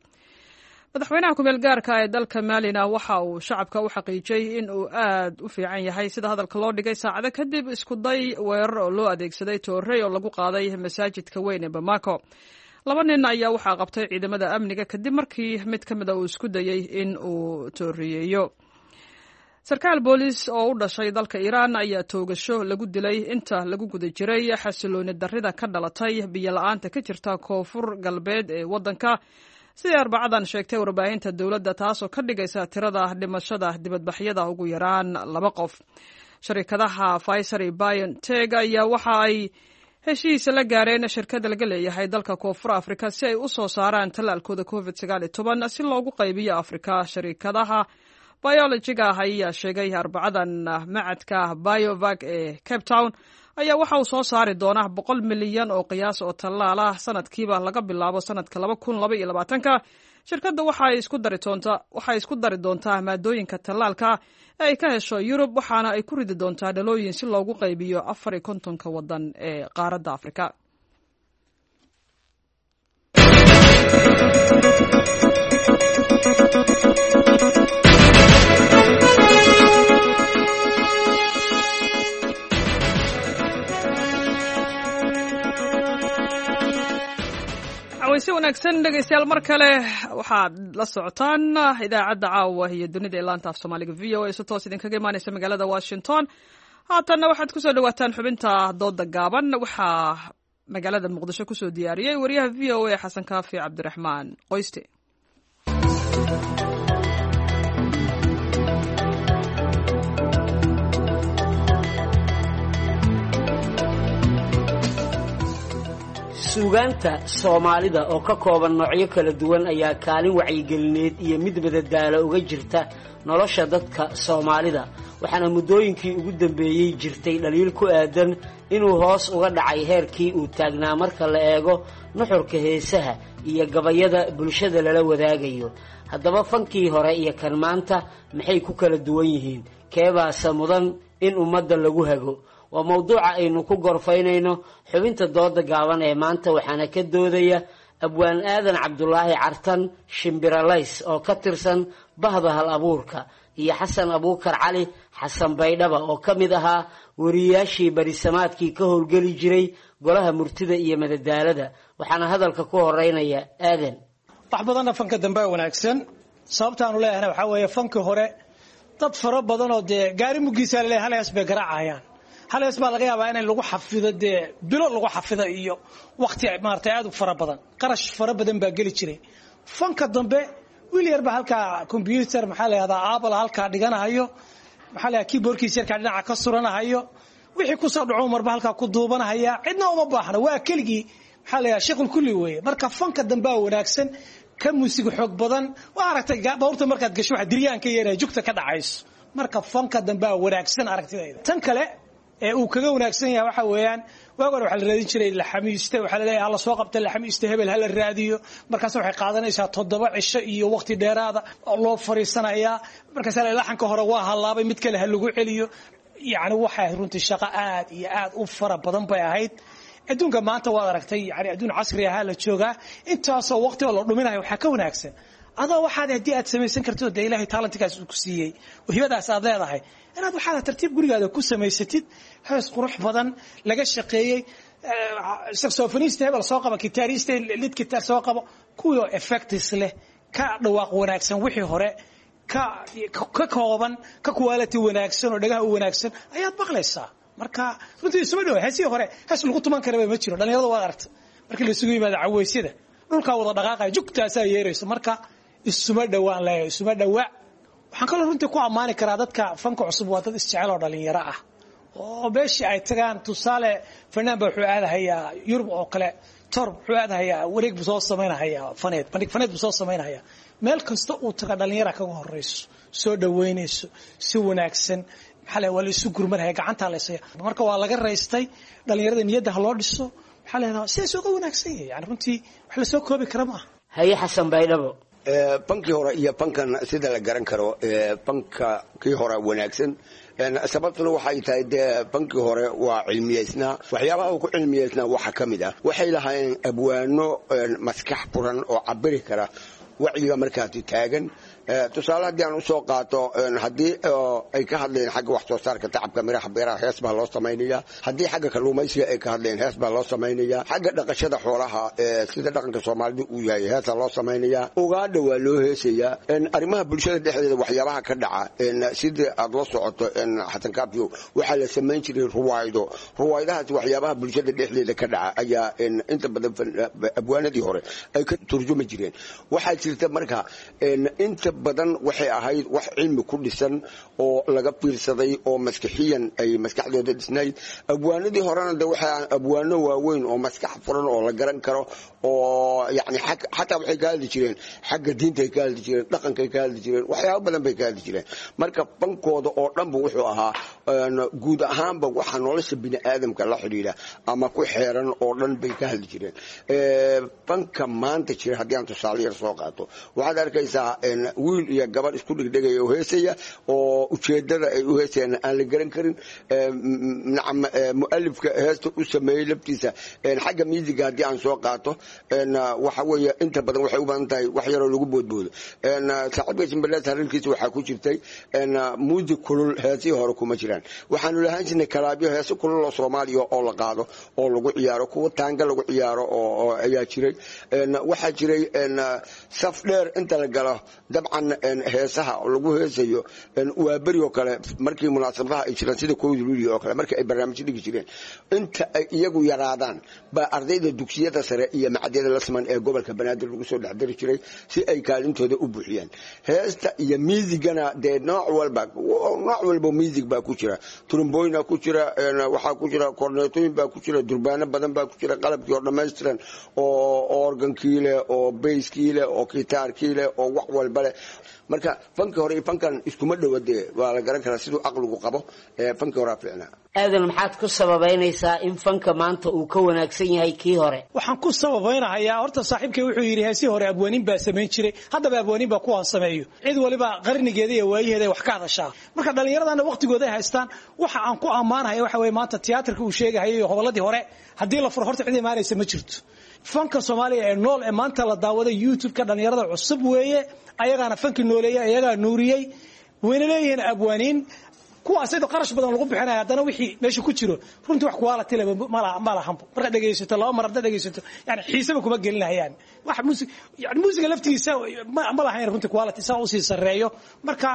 Madaxweynaha kumeel gaarka ee dalka Maalina waxa uu shacabka u xaqiijiyey in uu aad u fiican yahay, sida hadalka loo dhigay, saacado kadib iskuday weerar oo loo adeegsaday toorey oo lagu qaaday masaajidka weyn ee Bamako. Laba nin ayaa waxaa qabtay ciidamada amniga kadib markii mid ka mida uu isku dayey in uu tooriyeeyo. Sarkaal booliis oo u dhashay dalka Iiraan ayaa toogasho lagu dilay inta lagu guda jiray xasilooni darrida ka dhalatay biyo la-aanta ka jirta koonfur galbeed ee waddanka, siday Arbacadan sheegtay warbaahinta dowladda, taasoo ka dhigaysa tirada dhimashada dibadbaxyada ugu yaraan laba qof. Sharikadaha Pfizer iyo BioNTech ayaa waxa ay heshiis la gaareen shirkada laga leeyahay dalka Koonfur Afrika si ay u soo saaraan tallaalkooda COVID 19 si loogu qaybiyo Afrika. Sharikadaha biologiga ah ayaa sheegay Arbacadan macadka Biovac ee Cape Town ayaa waxa uu soo saari doonaa 100 milyan oo qiyaas oo tallaal ah sanadkiiba laga bilaabo sanadka 2022-ka. Shirkadda waxay isku dari doontaa maadooyinka tallaalka ee ay ka hesho Yurub, waxaana ay ku ridi doontaa dhalooyin si loogu qaybiyo 54-ka waddan ee qaaradda Afrika. Wayse wanaagsan dhegeystayaal, mar kale waxaad la socotaan idaacadda caawa iyo dunida ee laanta af Soomaaliga VOA, si toos idinkaga imaaneysa magaalada Washington. Haatanna waxaad kusoo dhawaataan xubinta dooda gaaban. Waxaa magaalada Muqdisho kusoo diyaariyey wariyaha VOA Xasan Kaafi Cabdiraxmaan Qoyste. Suugaanta Soomaalida oo ka kooban noocyo kala duwan ayaa kaalin wacyigelineed iyo mid madadaalo uga jirta nolosha dadka Soomaalida, waxaana muddooyinkii ugu dambeeyey jirtay dhaliil ku aadan inuu hoos uga dhacay heerkii uu taagnaa marka la eego nuxurka heesaha iyo gabayada bulshada lala wadaagayo. Haddaba, fankii hore iyo kan maanta maxay ku kala duwan yihiin? Keebaase mudan in ummadda lagu hago? Waa mawduuca aynu ku gorfaynayno xubinta dooda gaaban ee maanta, waxaana ka doodaya Abwaan Aadan Cabdulaahi Cartan Shimbiralays oo ka tirsan bahda hal abuurka, iyo Xasan Abuukar Cali Xasan Baydhaba oo ka mid ahaa wariyaashii barisamaadkii ka howlgeli jiray golaha murtida iyo madadaalada. Waxaana hadalka ku horeynaya Aadan. Wax badanna fanka dambe wanaagsan. Sababtaanu leeyahana waxaa weeye, fankii hore dad fara badan oo dee gaari muggiisa laleeyahay hal hees bay garaacayaan. Hal hees baa laga yaabaa in lagu xafido, dee bilo lagu xafido iyo waqti maaragtay aad u fara badan, qarash fara badan baa geli jiray. Fanka dambe wiil yar baa halkaa computer, maxaa la yahdaa, Apple halkaa dhiganahayo, maxaa la yahdaa, keyboardkiisa yarkaa dhinaca ka suranahayo, wixii kusoo dhaco marba halkaa ku duubanahaya. Cidna uma baahna, waa keligii, maxaa la yahdaa, shaqul kulli weeye. Marka fanka dambea wanaagsan, ka muusig xoog badan. Waa aragtay bawrta markaad gasho waxa diryaan ka yeeraya, jugta ka dhacayso. Marka fanka dambea wanaagsan aragtidayda. Tan kale ee uu kaga wanaagsan yahay waxa weeyaan, waag hore waxaa la raadin jiray laxamiiste. Waxaa la leeyahay hala soo qabta laxamiiste hebel, hala raadiyo. Markaas waxay qaadanaysaa 7 cisho iyo waqti dheeraada oo loo fariisanayaa. Markaas laxanka hore waa halaabay, mid kale ha lagu celiyo. Yacni waxay ahayd runtii shaqo aad iyo aad u fara badan bay ahayd. Adduunka maanta waad aragtay, yani adduun casri ahaa la joogaa. Intaasoo waqti oo la dhuminayo waxaa ka wanaagsan adoo waxaad haddii aad samaysan kartid oo dee Ilaahay talentikaas uu ku siiyey oo hibadaas aad leedahay, inaad waxaad tartiib gurigaada ku samaysatid hees qurux badan laga shaqeeyey, saxophonist hebel soo qaba, guitarist lead guitar soo qabo, kuwii oo effects leh, ka dhawaaq wanaagsan wixii hore, ka kooban, ka quality wanaagsan oo dhagaha u wanaagsan ayaad maqlaysaa. Marka runtii isuma dhow. Heesihii hore hees lagu tuman karaba ma jiro. Dhalinyarada waad aragta markii la isugu yimaado caweysyada, dhulkaa wada dhaqaaqaya, jugtaasaa yeerayso. Marka isuma dhowaan leeyahay, isuma dhowaa. Waxaan kaloo runtii ku ammaani karaa dadka fanka cusub waa dad isjecel oo dhalinyaro ah, oo meeshii ay tagaan, tusaale fanaan ba wuxuu aadahayaa Yurub oo kale, tor wuxuu aadahayaa, wareeg buu soo samaynahayaa, faneed, bandhig faneed buu soo samaynahayaa. Meel kasta uu taga dhalinyara kaga horeyso, soo dhaweynayso si wanaagsan. Maxaa la, waa la isu gurmanaya, gacantaa la isaya. Marka waa laga raystay. Dhalinyarada niyadda ha loo dhiso. Maxaa la yidhahdaa, sidaas uga wanaagsan yahay, yani runtii wax la soo koobi kara ma aha. Haye, Xasan Baydhabo. Bankii hore iyo bankan sida la garan karo, banka kii hore wanaagsan. Sababtuna waxay tahay dee bankii hore waa cilmiyeysnaa. Waxyaabaha uu ku cilmiyeysnaa waxaa ka mid ah waxay lahaayeen abwaano maskax furan oo cabiri kara wacyiga markaasi taagan. Tusaale haddii aan usoo qaato, haddii ay ka hadleen xagga wax soo saarka, tacabka miraha beeraha, hees baa loo samaynaya. Haddii xagga kalluumaysiga ay ka hadleen, hees baa loo samaynaya. Xagga dhaqashada xoolaha, sida dhaqanka soomaalidu uu yahay, heesaa loo samaynaya. Ugaadha waa loo heesayaa. Arrimaha bulshada dhexdeeda waxyaabaha ka dhaca, sidii aad la socoto Xasan Kaafiyo, waxaa la samayn jiray ruwaaydo. Ruwaaydahaas waxyaabaha bulshada dhexdeeda ka dhaca ayaa inta badan abwaanadii hore ay ka turjumi jireen. Waxaa jirta marka inta badan waxay ahayd wax cilmi ku dhisan oo laga fiirsaday oo maskixiyan ay maskaxdooda dhisnayd. Abwaanadii horena de waxay abwaano waaweyn oo maskax furan oo la garan karo, oo yani xataa waxay ka hadli jireen xagga diintay ka hadli jireen, dhaqankay ka hadli jireen, waxyaabo badan bay ka hadli jireen. Marka bankooda oo dhanba wuxuu ahaa guud ahaanba waxa nolosha bini aadamka la xidhiidha ama ku xeeran oo dhan bay ka hadli jireen. Banka maanta jira haddii aan tusaale yar soo qaato, waxaad arkaysaa wiil iyo gabadh isku dhegdhegaya oo heesaya, oo ujeedada ay u heesayaan aan la garan karin. Nacam, mualifka heesta u sameeyey laftiisa, xagga miisiga haddii aan soo qaato, waxa weeye inta badan waxay u badan tahay wax yaroo lagu boodboodo. Saaxiibka Shimbalees hadalkiisa waxaa ku jirtay muusig kulul heesihii hore kuma jiraan. Waxaanu lahaan jirnay kalaabyo, heese kulul oo Soomaaliya oo la qaado oo lagu ciyaaro, kuwa taanga lagu ciyaaro oo ayaa jiray. Waxaa jiray saf dheer inta la galo, dabcan heesaha lagu heesayo waa beri oo kale markii munaasabadaha ay jiraan, sida 1-da Luuliyo oo kale, markii ay barnaamijyo dhigi jireen, inta ay iyagu yaraadaan baa ardayda dugsiyada sare iyo macadyada lasman ee gobolka Banaadir lagu soo dhexdari jiray si ay kaalintooda u buuxiyaan heesta iyo miisigana. Dee nooc walba, nooc walba miisig baa ku jira, trumbooyina ku jira, waxaa ku jira korneetooyin baa ku jira, durbaano badan baa ku jira, qalabkii oo dhammaystiran oo organkii leh oo bayskii leh oo gitaarkii leh oo wax walba leh. Marka fankii hore iyo fankan iskuma dhowa, dee waa la garan karaa siduu caqligu qabo. Fankii horaa fiicnaa. Aadan, maxaad ku sababaynaysaa in fanka maanta uu ka wanaagsan yahay kii hore? Waxaan ku sababaynahayaa, horta saaxiibkay wuxuu yidhi heesii hore abwaaniin baa samayn jiray. Haddaba abwaaniin baa kuwaan sameeyo. Cid waliba qarnigeeda iyo waayaheeda ay wax ka hadashaa. Marka dhallinyaradana waqtigooda ay haystaan. Waxa aan ku ammaanahaya waxa weeye, maanta tiyaatarka uu sheegahayay iyo hobolladii hore haddii la furo, horta cid imaanaysa ma jirto. Fanka Soomaaliya ee nool ee maanta la daawaday YouTube-ka dhallinyarada cusub weeye. Ayagaana fanki nooleeyey, ayagaa nuuriyey. Wayna leeyihiin abwaaniin kuwaas iyadoo qarash badan lagu bixinaya, haddana wixii meesha ku jiro runtii wax quality leh ma lahanbo. Markaad dhegaysato laba mar haddaad dhegaysato, yani xiisaba kuma gelinayaan. Wax muusig, yani muusiga laftigiisa ma lahayn runtii quality saa usii sarreeyo. Marka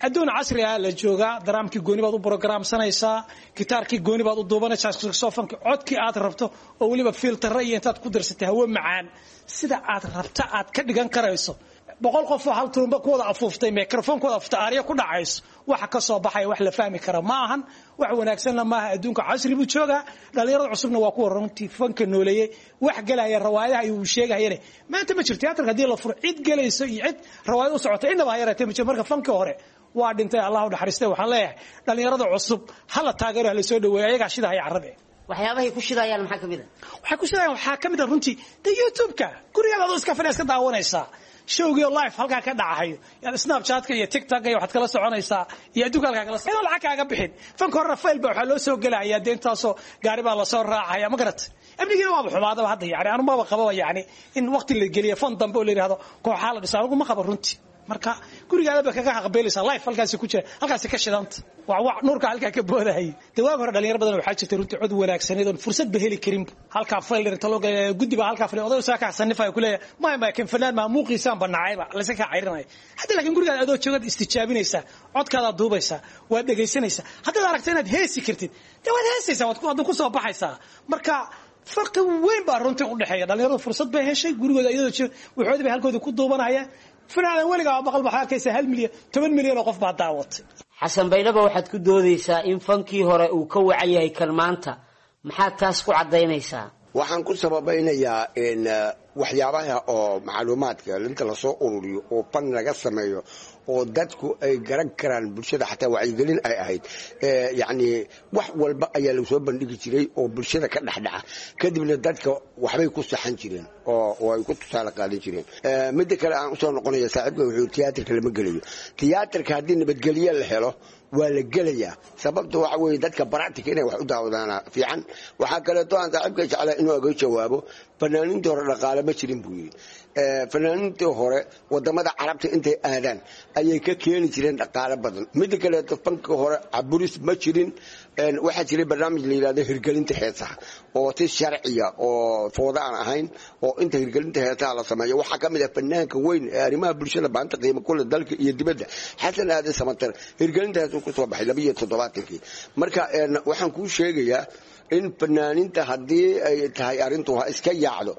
adduun casri ah la joogaa. Daraamkii gooni baad u programsanaysaa, gitaarkii gooni baad u duubanaysaa, saxophone codkii aad rabto oo weliba filter iyo intaad ku darsatay hawo macaan sida aad rabta aad ka dhigan karayso. 100 qof oo hal turumba ku wada afuuftay, microphone ku wada afuuftay, aarya ku dhacayso, waxa ka soo baxaya wax la fahmi kara ma ahan, wax wanaagsanna maaha. Adduunka casri buu joogaa. Dhalinyarada cusubna waa kuwa runtii fanka nooleeyey. Wax galaya rawaayadaha ayuu sheegayane maanta ma jirto. Tiyaatarka haddii la furo, cid galayso iyo cid rawaayad u socota innaba ha yaraatee ma jirto. Marka fankii hore waa dhintay, Allahu naxariistay. Waxaan leeyahay dhalinyarada cusub hala taageero, hala soo dhaweeyo, ayagaa shidahaya carrabe. Waxyaabahay ku shidayaan maxaa kamid a? Waxay ku shidayaan waxaa kamid a runtii de YouTube-ka gurigaada adoo iska fadhiya iska daawanaysaa showgii live halkaa ka dhacahayo. Yani Snapchatka iyo TikTok iyo waxaad kala soconaysaa iyo adduunka halkaa kala inaan lacag kaaga bixin. Fanka horena file baa waxaa loo soo gelaya, dee intaasoo gaari baa lasoo raacaya, ma garat? Amnigiina waaba xumaadaba hadda. Yani anu maba qababa, yani in waqti la geliyo fan dambe oo la yidhahdo kooxaa la dhisa, anigu ma qabo runtii. Marka gurigaada ba kaga haqabeelaysaa, life halkaasi ku jira, halkaasi ka shidanta, waa wac nuurka halkaa ka boodahayay. Dee waag hore dhalinyaro badan waxaa jirtay runtii cod wanaagsaneed oon fursad ba heli karin. Halkaa fayl inta loo galay, guddi baa halkaa fadhiya, oday saa ka xasanifaya ku leeyahay maya maya, kan fanaan maa, muuqiisaan banacayba laysa kaa cayrinaya. Hadda laakiin gurigaada adoo joogaad istijaabinaysaa, codkaadaad duubaysaa, waad dhegaysanaysaa. Haddaad aragto inaad heesi kartid, dee waad heesaysaa, waad ku soo baxaysaa. Marka farqi weyn baa runtii u dhexeeya. Dhalinyaradu fursad bay heshay, gurigooda iyadoo jooga waxoodii bay halkooda ku duubanayaan. Fanaanan weligaa maqal waxaa arkaysa 1 milyan, 10 milyan oo qof baa daawatay. Xasan Baydhaba, waxaad ku doodaysaa in fankii hore uu ka wacan yahay kan maanta. Maxaad taas ku caddaynaysaa? Waxaan ku sababaynayaa in waxyaabaha oo macluumaadka inta lasoo ururiyo oo fan laga sameeyo oo dadku ay garan karaan, bulshada xataa wacyigelin ay ahayd. Yacni wax walba ayaa lagu soo bandhigi jiray oo bulshada ka dhexdhaca, kadibna dadka waxbay ku saxan jireen oo ay ku tusaale qaadan jireen. Midda kale aan usoo noqonaya, saaxiibka wuxuu tiyaatarka lama gelayo. Tiyaatarka haddii nabadgelye la helo waa la gelayaa. Sababta waxa weeye dadka baractika inay wax u daawadaana fiican. Waxaa kaleeto aan saaxiibka jeclaa inuu aga jawaabo, fanaaniintii hore dhaqaale ma jirin buu yidhi. Fanaaniintii hore wadamada Carabta intay aadaan ayay ka keeni jireen dhaqaale badan. Midda kaleeto, fanka hore caburis ma jirin. Waxaa jiray barnaamij la yidhahdo hirgelinta heesaha oo si sharciya oo fooda aan ahayn oo inta hirgelinta heesaha la sameeyo. Waxaa ka mid ah fanaanka weyn ee arrimaha bulshada baanta qiimo kule dalka iyo dibadda, Xasan Aadan Samatar, hirgelinta heesuu kusoo baxay 72-kii. Marka waxaan kuu sheegayaa in fanaaniinta haddii ay tahay arrintu ha iska yaacdo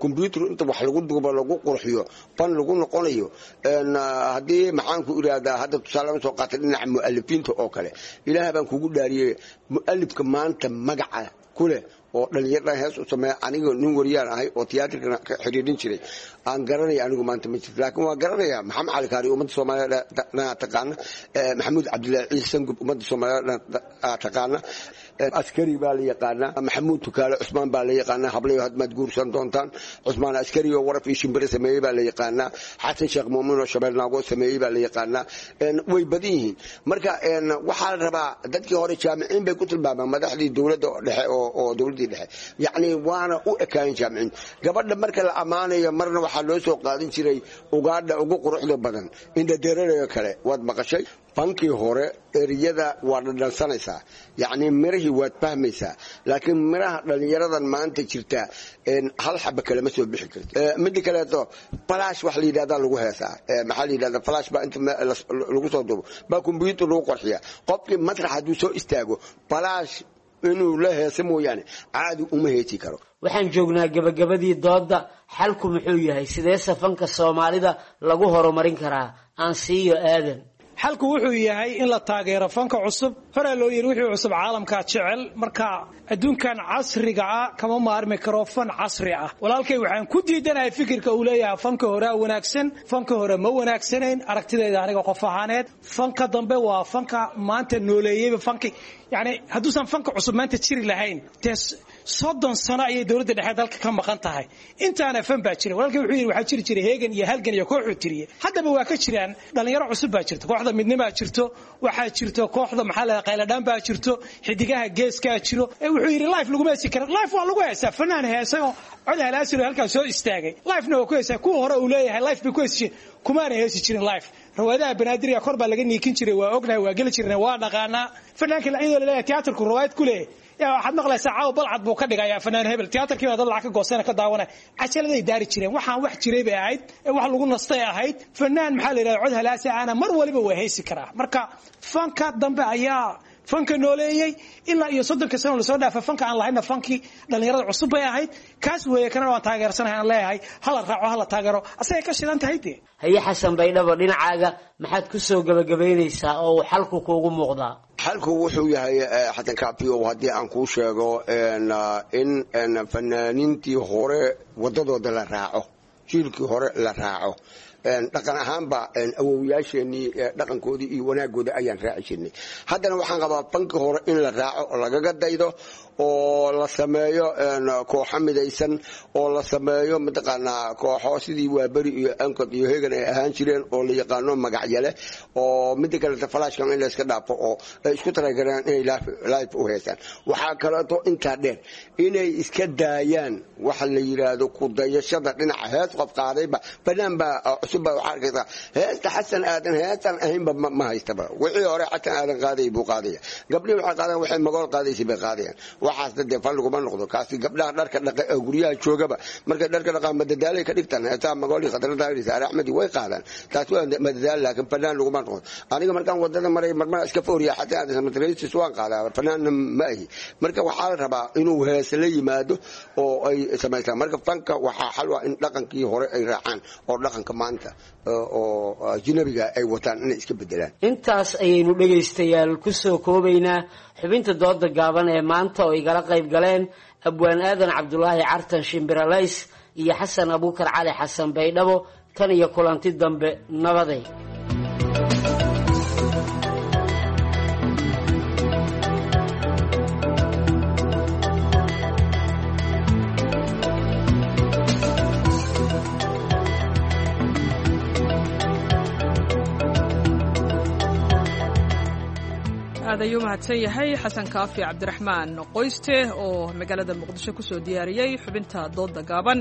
combyuter inta wax lagu duubo lagu qurxiyo fan lagu noqonayo. Haddii maxaan ku iraahdaa, hadda tusaale soo qaatay dhinaca mu'alifiinta oo kale, Ilaah baan kugu dhaariyey, mu'alifka maanta magaca ku leh oo dhalinyarada hees u sameeya, aniga nin wariyaan ahay oo tiyaatarkana ka xiriirin jiray, aan garanaya anigu maanta ma jirto. Laakiin waan garanayaa Maxamed Cali Kaari, ummadda Soomaaliya taqaana. Maxamuud Cabdillaahi Ciise Sangub, ummadda Soomaaliya taqaana. Askari baa la yaqaanaa. Maxamuud Tukaale Cusmaan baa la yaqaanaa. Hablayo hadmaad guursan doontaan. Cusmaan Askari oo waraf iyo shimbire sameeyey baa la yaqaanaa. Xasan Sheekh Muumin oo Shabeel Naago sameeyey baa la yaqaanaa. Way badan yihiin. Marka waxaa la rabaa dadkii hore jaamiciin bay ku tilmaamaan madaxdii dowladda dhexe oo dowladdii dhexe, yacni waana u ekaayeen jaamiciin. Gabadha marka la ammaanayo marna waxaa loo soo qaadan jiray ugaadha ugu quruxda badan indhadeerarayo kale. Waad maqashay fankii hore eriyada waa dhadhansanaysaa, yacni mirahii waad fahmaysaa, laakiin miraha dhallinyaradan maanta jirta hal xaba kalema soo bixi karto. Midda kaleeto, flash wax la yidhahdaa lagu heesaa. Maxaa la yidhahdaa, flash baa inta lagu soo duubo baa combyuter lagu qorxiyaa. Qofkii masrax hadduu soo istaago flash inuu la heesa mooyaane caadi uma heesi karo. Waxaan joognaa gabagabadii doodda. Xalku muxuu yahay? Sidee safanka Soomaalida lagu horumarin karaa? Aan siiyo Aadan. Xalku wuxuu yahay in la taageero fanka cusub. Horaa loo yidhi wixii cusub caalamkaa jecel. Marka adduunkan casriga ah kama maarmi karo fan casri ah. Walaalkay waxaan ku diidanahay fikirka uu leeyahay fanka horea wanaagsan. Fanka hore ma wanaagsanayn aragtidayda aniga qof ahaaneed. Fanka dambe waa fanka maanta nooleeyeyba fanki. Yacni hadduusan fanka cusub maanta jiri lahayn, dee 30 sano ayay dowladda dhexe dalka ka maqan tahay, intaana fan baa jira. Walaalkay wuxuu yidhi waxaa jiri jiray Heegan iyo Halgan iyo kooxuu tiriyey. Haddaba waa ka jiraan, dhalinyaro cusub baa jirto, kooxda Midnimaa jirto, waxaa jirto kooxda maxaa la Qayladhaan baa jirto, Xidigaha Geeskaa jiro. Wuxuu yidhi live laguma heesi karo. Live waa lagu heesaa. Fanaan heesay oo cod halaasiro halkaas soo istaagay livena waa ku heesaa. Kuwa hore uu leeyahay live bay ku heesi jireen, kumaana heesi jirin live. Rawaadaha Banaadiriga kor baa laga niikin jiray, waa ognahay, waa geli jirnay, waa dhaqaanaa. Fanaanka iyadoo laleeyahay tiyaatarku rawaayad ku leeyahay, yaa waxaad maqlaysaa caawa Balcad buu ka dhigayaa fanaan hebel, tiyaatarkii baa dad lacag ka goosana ka daawanaya. Cajaladay daari jireen, waxaan wax jiray bay ahayd, wax lagu nastay ahayd. Fanaan maxaa la yidhahda cod halaasi ahna mar waliba waa heesi karaa. Marka fanka dambe ayaa fanka nooleeyey ilaa iyo 30-ka sano lasoo dhaafa. Fanka aan lahayna fankii dhallinyarada cusub bay ahayd. Kaas weeye kana waan taageersanahay, aan leeyahay hala raaco, hala taageero, asagay ka shidan tahay dee. Haye Xasan Baydhabo, dhinacaaga maxaad ku soo gabagabaynaysaa oo uu xalku kuugu muuqdaa? Xalku wuxuu yahay, Xasan Kaafiyo, haddii aan kuu sheego, in fanaaniintii hore wadadooda la raaco, jiilkii hore la raaco. Dhaqan ahaanba awowyaasheenii dhaqankoodii iyo wanaagooda ayaan raaci jirnay. Haddana waxaan qabaa fankii hore in la raaco oo lagaga daydo oo la sameeyo kooxo midaysan oo la sameeyo mataqaanaa kooxo sidii Waaberi iyo Ankod iyo Hegan ay ahaan jireen oo la yaqaano magacyale, oo midda kaleeto flashkan in la iska dhaafo oo ay isku talagalaan inay live u heesaan. Waxaa kaleeto intaa dheer inay iska daayaan waxa la yidhaahdo ku dayashada dhinaca hees qof qaadayba. Fanaan baa cusub baa waxaa arkaysaa heesta Xasan Aadan heestan ahaynba ma haystaba. Wixii hore Xasan Aadan qaaday buu qaadaya. Gabdhihii waxay qaadaan waxay Magool qaadaysay bay qaadayaan. Waxaasna dee fal laguma noqdo. Kaasi gabdhaha dharka dhaqa ee guryaha joogaba markay dharka dhaqaan madadaalay ka dhigtaan heesaha Magool iyo Khadra Daahir, Saare Axmed way qaadaan. Taasi waa madadaal, laakiin fanaan laguma noqdo. Aniga markaan wadada maray marmar iska fooriya Xasan Aadan Samataraysis waan qaadaa, fanaanna ma ahi. Marka waxaa la rabaa inuu heese la yimaado oo ay samaystaan. Marka fanka waxaa xal waa in dhaqankii hore ay raacaan oo dhaqanka maanta maanta oo ajnabiga ay wataan inay iska bedelaan. Intaas ayaynu dhegaystayaal ku soo koobaynaa xubinta dooda gaaban ee maanta oo igala qayb galeen Abwaan Aadan Cabdulaahi Cartan Shimbiralays iyo Xasan Abuukar Cali Xasan Baydhabo. Tan iyo kulanti dambe, nabaday. Aad ayuu mahadsan yahay Xasan Kaafi Cabdiraxmaan Qoyste oo magaalada Muqdisho kusoo diyaariyey xubinta dooda gaaban.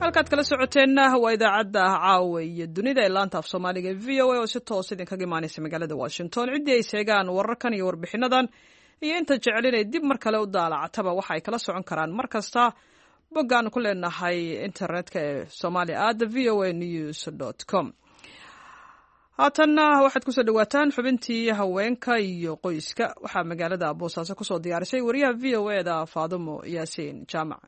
Halkaad kala socoteenna waa idaacadda Caawa iyo Dunida ee laanta af Soomaaliga e VOA oo si toos idinkaga imaanaysa magaalada Washington. Ciddii ay sheegaan wararkan iyo warbixinadan iyo inta jecel inay dib mar kale u daalacataba, waxa ay kala socon karaan mar kasta boggaan ku leenahay internetka ee somalia at voanews.com. Haatanna waxaad kusoo dhawaataan xubintii haweenka iyo qoyska. Waxaa magaalada Boosaaso kusoo diyaarisay wariyaha VOA da Faadumo Yaasiin Jaamac.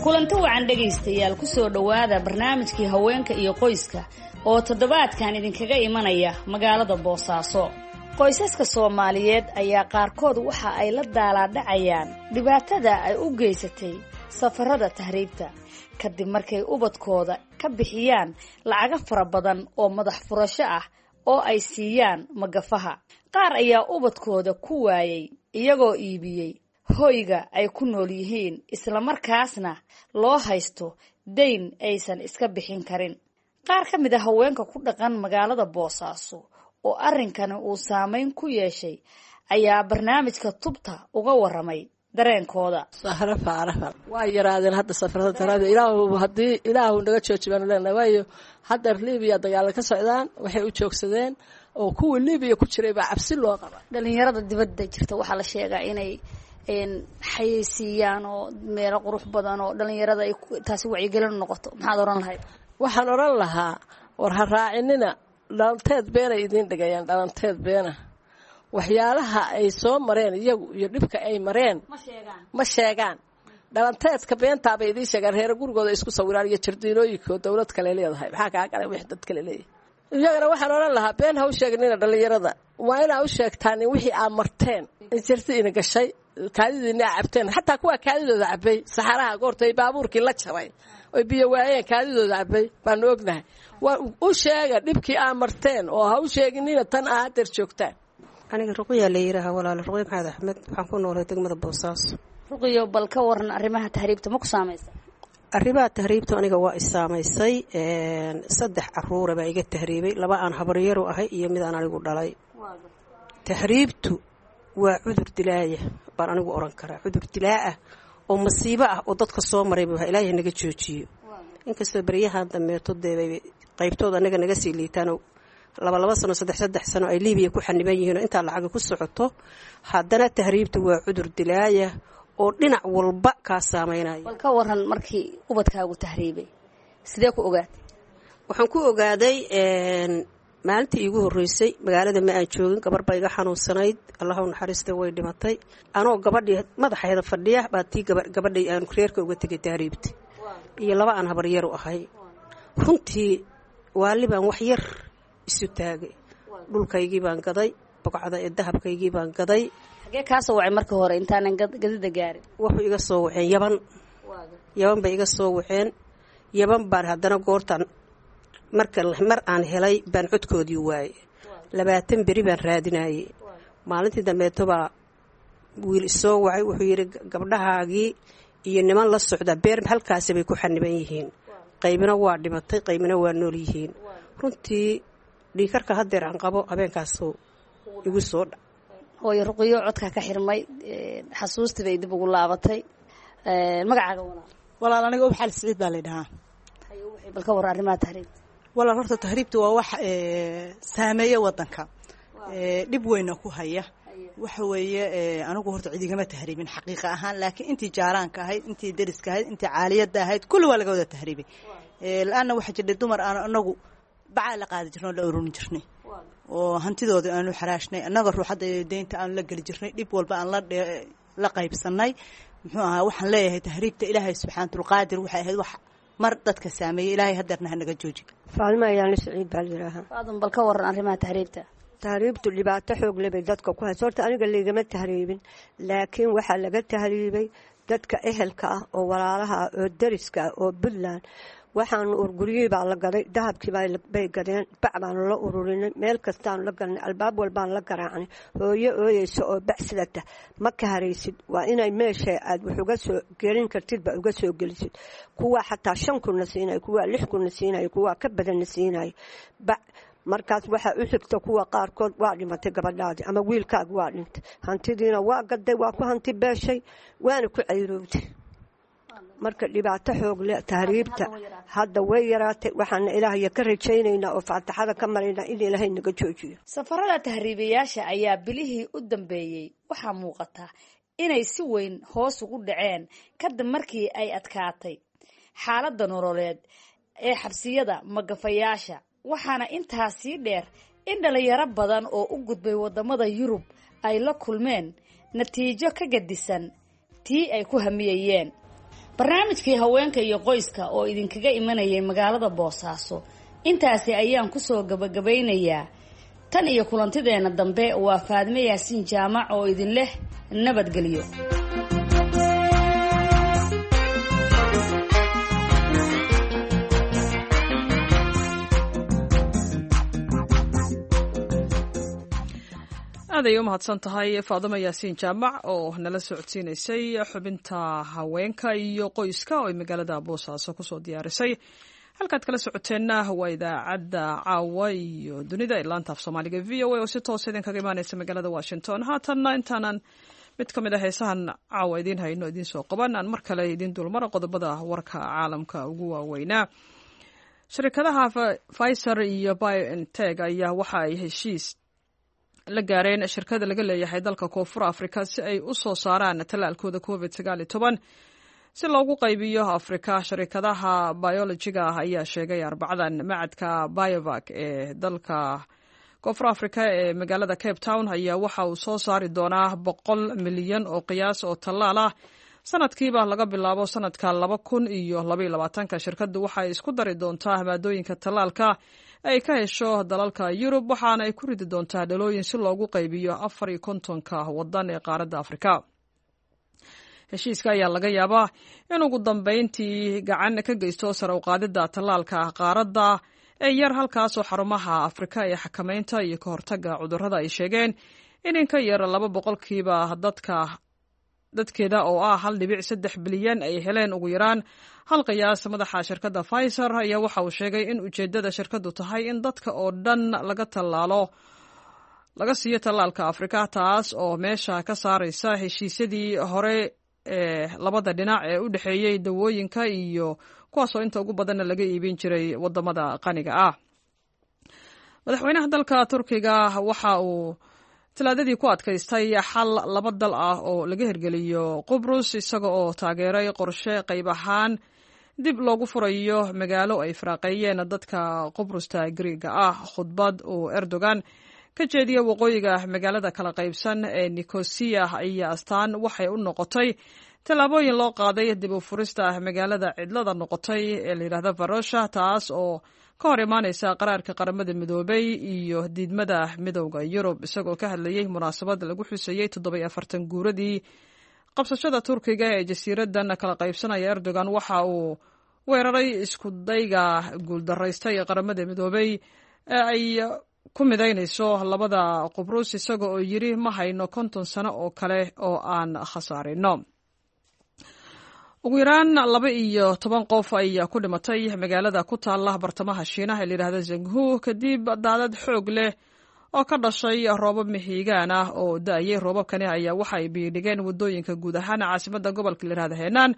Kulanti wacan dhegaystayaal, kusoo dhowaada barnaamijkii haweenka iyo qoyska oo toddobaadkan idinkaga imanaya magaalada Boosaaso. Qoysaska Soomaaliyeed ayaa qaarkood waxa ay la daalaadhacayaan dhibaatada ay u geysatay safarada tahriibta, kadib markay ubadkooda ka bixiyaan lacago fara badan oo madax furasho ah oo ay siiyaan magafaha. Qaar ayaa ubadkooda ku waayay iyagoo iibiyey hoyga ay ku nool yihiin, islamarkaasna loo haysto dayn aysan iska bixin karin. Qaar ka mid a haweenka ku dhaqan magaalada Boosaaso oo arrinkani uu saameyn ku yeeshay ayaa barnaamijka Tubta uga waramay dareenkooda. Sahro Faarafa. Waa yaraadeen hadda safarada tarada. Ilaahu haddii Ilaahu naga jooji baanu leenahay, waayo hadda Libiya dagaalo ka socdaan, waxay u joogsadeen oo kuwii Libiya ku jiray baa cabsi loo qaba. Dhalinyarada dibadda jirta waxaa la sheegaa inay xayeysiiyaan oo meelo qurux badan oo dhalinyarada ay taasi wacyigelin noqoto. Maxaad oran lahayd? Waxaan oran lahaa, war ha raacinina, dhalanteed beenay idiin dhigayaan, dhalanteed beena. Waxyaalaha ay soo mareen iyagu iyo dhibka ay mareen ma sheegaan. Dhalanteedka beentaabay idiin sheegaan. Reere gurigooda isku sawiraan iyo jardiinooyinka oo dowlad kale leedahay. Maxaa kaa galay wix dad kale leeyahay? Iyagana waxaan oran lahaa, been ha u sheegnina dhalinyarada, waa inaa u sheegtaan in wixii aa marteen, in jirti ina gashay, kaadidiina aa cabteen. Xataa kuwaa kaadidooda cabay saxaraha goorta ay baabuurkii la jabay oy biyo waayeen, kaadidooda cabay baanu ognahay. Waa u sheega dhibkii aa marteen oo ha u sheeginina tan aa hadeer joogtaan. Aniga Ruqya la yidhaaha, walaalo, Ruqya Maxamed Axmed. Waxaan ku noolay degmada Boosaaso. Ruqiyo, bal ka waran arrimaha tahriibta, ma ku saamaysa? Arrimaha tahriibta aniga waa i saamaysay. Saddex caruura baa iga tahriibay, laba aan habaryaru ahay iyo mid aan anigu dhalay. Tahriibtu waa cudur dilaaya baan anigu oran karaa, cudur dilaa ah oo masiibo ah oo dadka soo maray buu Ilaahay naga joojiyo. Inkastoo beryahan dambeeto dee qaybtooda anaga naga sii liitaanoo laba laba sano, saddex saddex sano ay Liibiya ku xaniban yihiin oo intaa lacaga ku socoto, haddana tahriibtu waa cudur dilaaya oo dhinac walba kaa saameynaya. Bal ka waran markii ubadkaagu tahriibay, sidee ku ogaatay? Waxaan ku ogaaday maalintii iigu horreysay magaalada ma aan joogin, gabar baa iga xanuunsanayd, Allahu naxariista, way dhimatay. Anoo gabadhii madaxeeda fadhiya baa tii gabadhay aan reerka uga tegay tahriibta iyo laba aan habaryaru ahay. Runtii waali baan wax yar isu taagay, dhulkaygii baan gaday, bogcada ee dahabkaygii baan gaday. Xagee kaa soo wacay marka hore intaanan gadida gaarin? Wuxuu iga soo waceen Yaban. Yaban bay iga soo waceen. Yaban baan haddana goortaan marka mar aan helay baan codkoodii waayey. 20 beri baan raadinayey. Maalintii dambeeto baa wiil isoo wacay, wuxuu yidhi gabdhahaagii iyo niman la socda beer halkaasi bay ku xaniban yihiin, qaybina waa dhimatay, qaybina waa nool yihiin. Runtii dhiikarka haddeer aan qabo habeenkaasuu igu soo dha. Hooyo Ruqiyo, codkaa ka xirmay, xasuustii bay dib ugu laabatay. Magacaaga walaal? Walaal, aniga Ubaxal Siciid baa la dhahaa. Bal ka war arrimaha tahriibta. Walaal, horta tahriibta waa wax saameeya wadanka, dhib weyna ku haya. Waxa weeye, anigu horta cid igama tahriibin xaqiiqa ahaan, laakiin intii jaaraanka ahayd, intii deriska ahayd, intii caaliyadda ahayd, kulli waa laga wada tahriibay. La-anna waxaa jirdhay dumar aan anagu bacaa la qaadi jirnay oo la ururin jirnay Oo hantidooda aanu xaraashnay, annaga ruuxadda deynta aanu la geli jirnay, dhib walba aan la qaybsanay. Muxuu ahaa, waxaan leeyahay tahriibta Ilaahay subxaanatulqaadir waxay ahayd wax mar dadka saameeyey, Ilaahay hadeerna hanaga jooji. Faalma Ayaanla Siciid baa la yidhaahaa. Faadum, bal ka waran arrimaha tahriibta. Tahriibtu dhibaato xoog leh bay dadka ku hayso. Horta aniga laygama tahriibin, laakiin waxaa laga tahriibay dadka ehelka ah oo walaalaha ah oo dariska ah oo Puntland. Waxaanu urguryihii baa la gaday, dahabkii bay gadeen, bac baanu la ururinay, meel kastaanu la galnay, albaab walbaanu la garaacnay. Hooyo ooyeysa oo bac sidata ma ka haraysid. Waa inay meesha aad wax uga soo gelin kartid ba uga soo gelisid. Kuwaa xataa 5,000-na siinaya, kuwaa 6,000-na siinaya, kuwaa ka badanna siinaya bac. Markaas waxaa u xigta kuwa qaarkood waa dhimatay gabadhaadii ama wiilkaaga waa dhintay, hantidiina waa gaday, waa ku hanti beeshay, waana ku cayrowday. Marka dhibaato xoog leh tahriibta hadda way yaraatay. Waxaana Ilaahaya ka rajaynaynaa oo faataxada ka maraynaa in Ilaahay naga joojiyo. Safarada tahriibayaasha ayaa bilihii u dambeeyey waxaa muuqata inay si weyn hoos ugu dhaceen kadib markii ay adkaatay xaaladda nololeed ee xabsiyada magafayaasha. Waxaana intaa sii dheer in dhalinyaro badan oo u gudbay wadamada Yurub ay la kulmeen natiijo ka gadisan tii ay ku hamiyayeen. Barnaamijkii haweenka iyo qoyska oo idinkaga imanayay magaalada Boosaaso intaasi ayaan kusoo gabagabaynayaa. Tan iyo kulantideenna dambe, waa Faadme Yaasiin Jaamac oo idin leh nabadgelyo. Aad ay u mahadsan tahay Faadimo Yaasiin Jaamac oo nala socodsiinaysay xubinta haweenka iyo qoyska oo ay magaalada Boosaaso kusoo diyaarisay. Halkaad kala socoteenna waa idaacadda caawa iyo dunida ee laanta af Soomaaliga VOA oo si toosa idinkaga imaaneysa magaalada Washington. Haatanna intaanan mid ka mid a heesahan caawa idiin hayno idiin soo qaban, aan mar kale idiin dulmara qodobada warka caalamka ugu waaweynaa. Shirkadaha Pfizer iyo BioNTech ayaa waxa ay heshiis la gaareen shirkada laga leeyahay dalka Koonfur Afrika si ay u soo saaraan tallaalkooda COVID 19 si loogu qaybiyo Afrika. Sharikadaha biolojiga ah ayaa sheegay Arbacadan macadka Biovac ee dalka Koonfur Afrika ee magaalada Cape Town ayaa waxa uu soo saari doonaa 100 milyan oo qiyaas oo tallaal ah sanadkiiba laga bilaabo sanadka 2022-ka. Shirkaddu waxay isku dari doontaa maadooyinka tallaalka ay ka hesho dalalka Yurub, waxaana ay ku ridi doontaa dhalooyin si loogu qaybiyo 54-ka wadan ee qaaradda Afrika. Heshiiska ayaa laga yaabaa in ugu dambeyntii gacan ka geysto sare u qaadidda tallaalka qaaradda ee yar, halkaasoo xarumaha Afrika ee xakameynta iyo ka hortagga cudurrada ay sheegeen in ka yar 2% dadka dadkeeda oo ah 1.3 bilyan ay heleen ugu yaraan hal qiyaas. Madaxa shirkadda Pfizer ayaa waxa uu sheegay in ujeeddada shirkaddu tahay in dadka oo dhan laga tallaalo, laga siiyo tallaalka Afrika, taas oo meesha ka saaraysa heshiisyadii hore ee labada dhinac ee u dhexeeyey dawooyinka iyo kuwaasoo inta ugu badanna laga iibin jiray wadamada qaniga ah. Madaxweynaha dalka Turkiga waxa uu Talaadadii ku adkaystay xal laba dal ah oo laga hirgeliyo Qubrus, isaga oo taageeray qorshe qayb ahaan dib loogu furayo magaalo ay faraaqeeyeen dadka Qubrusta Griiga ah. Khudbad uu Erdogan ka jeediya waqooyiga magaalada kala qaybsan ee Nicosia ayaa astaan waxay u noqotay tallaabooyin loo qaaday dib u furista magaalada cidlada noqotay ee layidhahda Varosha, taas oo ka hor imaaneysa qaraarka Qaramada Midoobay iyo diidmada Midowda Yurub. Isagoo ka hadlayey munaasabad lagu xusayey 47 guuradii qabsashada Turkiga ee jasiiradan kala qaybsanaya, Erdogan waxa uu weeraray isku dayga guuldaraystay ee Qaramada Midoobay ee ay ku midaynayso labada Qubrus, isaga oo yidhi: "Ma hayno 50 sano oo kale oo aan khasaarino." Ugu yaraan 12 qof ayaa ku dhimatay magaalada ku taala bartamaha Shiinaha ee layidhahda Zhengzhou kadib daadad xoog leh oo ka dhashay roobab mihiigaan ah oo da-ayay. Roobabkani ayaa waxa ay biyodhigeen wadooyinka guud ahaan caasimada gobolka layihahda Henan,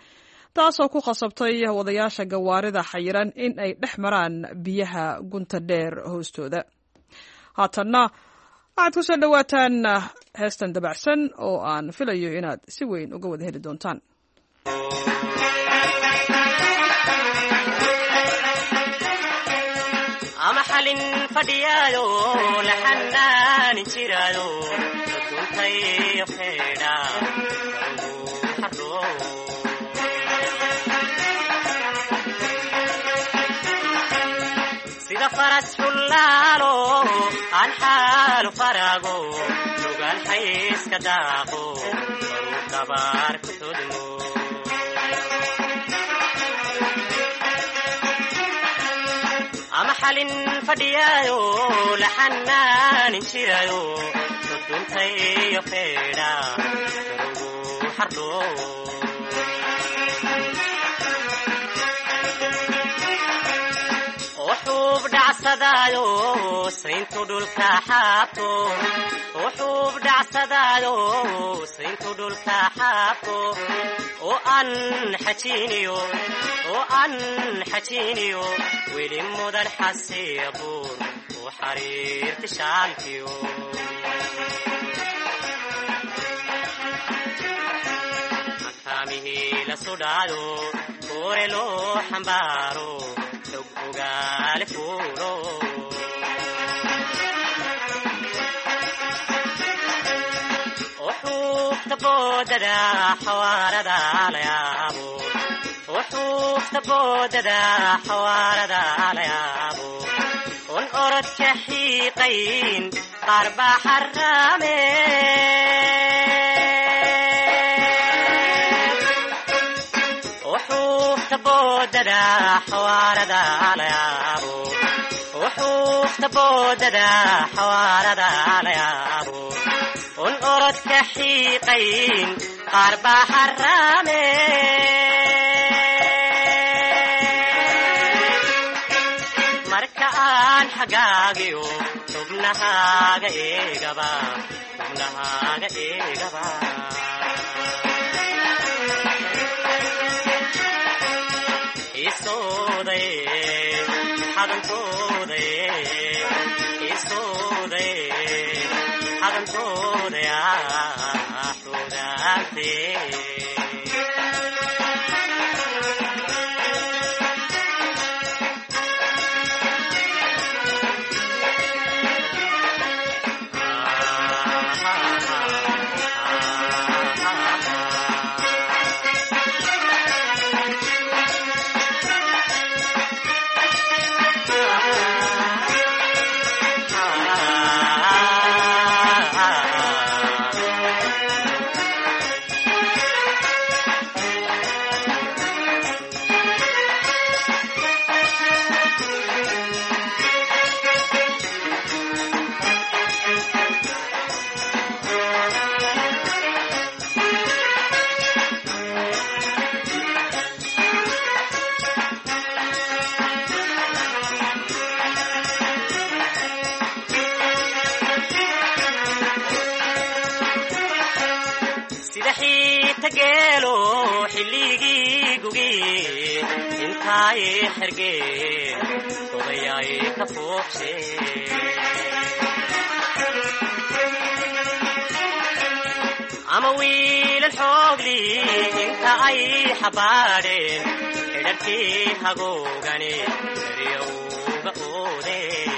taasoo ku khasabtay wadayaasha gawaarida xayiran in ay dhex maraan biyaha gunta dheer hoostooda. Haatanna waxaad ku soo dhowaataan heestan dabacsan oo aan filayo inaad si weyn uga wada heli doontaan. Ama xali. Xalin fadhiyaayo la xanaanin jiraayo duntayo xeedha xaro. Sida faras xulaalo aan xaalu farago lugaan xayska daaqo baruu dabaar ku xudmo. Ama xalin fadhiyaayo la xanaanin jiraayo duntayo xeedha ugu xardho. Wuxuub dhacsadaayo sayntu dhulka xaabto, wuxuub dhacsadaayo sayntu dhulka xaabto, oo aan xajiiniyo, oo aan xajiiniyo weli mudan xasiibuur u xariirti shaalkiyo. Makaamihii la sudhaayo koore loo xambaaro xog ogaale fuulo. Wuxuufta boodada xawaarada la yaabo, wuxuufta boodada xawaarada la yaabo, un orodka xiiqayn qaar baa xaraame. Wuxuufta boodada xawaarada la yaabo, wuxuufta boodada xawaarada la yaabo, un orodka xiiqayn qaar baa xaraame. Marka aan xagaagiyo xubnahaaga eegaba, xubnahaaga eegaba, xadantooday xudaante. Sida xiita geelo xilligii gugi intaay xergeen odayaay ka fuuqshe. Ama wiilal xoogli inta ay xabaadheen xidharkii hagoogani eryowga oodeen.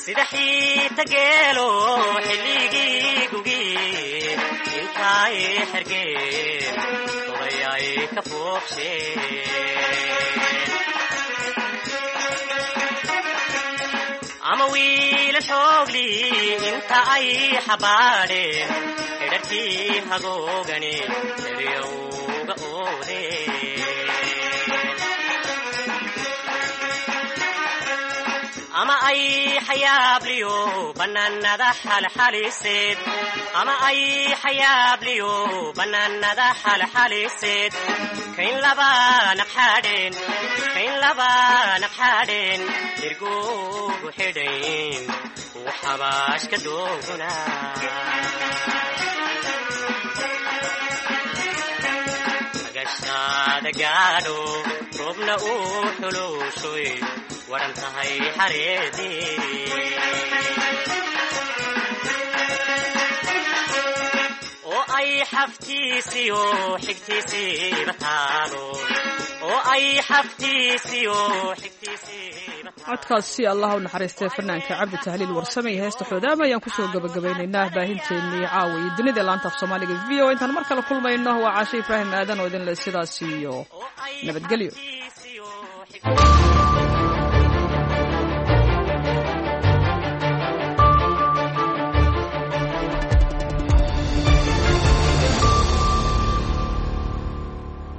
Sida xiita geelo xilligii gugi intaay xergeen odayaay ka fuuqsheen. Ama wiila xoogli inta ay xabaadheen xidharkii hagoogani eryowga oodeen. Ama ay xayaabliyo bannaanada xalxaliseed, ama ay xayaabliyo bannaanada xalxaliseed, kayn laba naqxadheen, kayn laba naqxadheen irgugu xidhayn uu xabaashka dooguna. Agashaada gaadho roobna uu xuluushoy waran tahay xareedii, oo ay xaftiisiyo xigtiisiiba taalo Oo ay xaftiisiyo xigtiisiiba. Codkaasi Allah u naxariistay fanaanka Cabdi Tahliil Warsame iyo heesta Xoodaama ayaan kusoo gabagabaynaynaa baahinteennii caawa iyo dunida laanta af Soomaaliga VOA. Intaan mar kale kulmayno, waa Caashe Ibraahim Aadan oo idin le sidaas iyo nabadgelyo.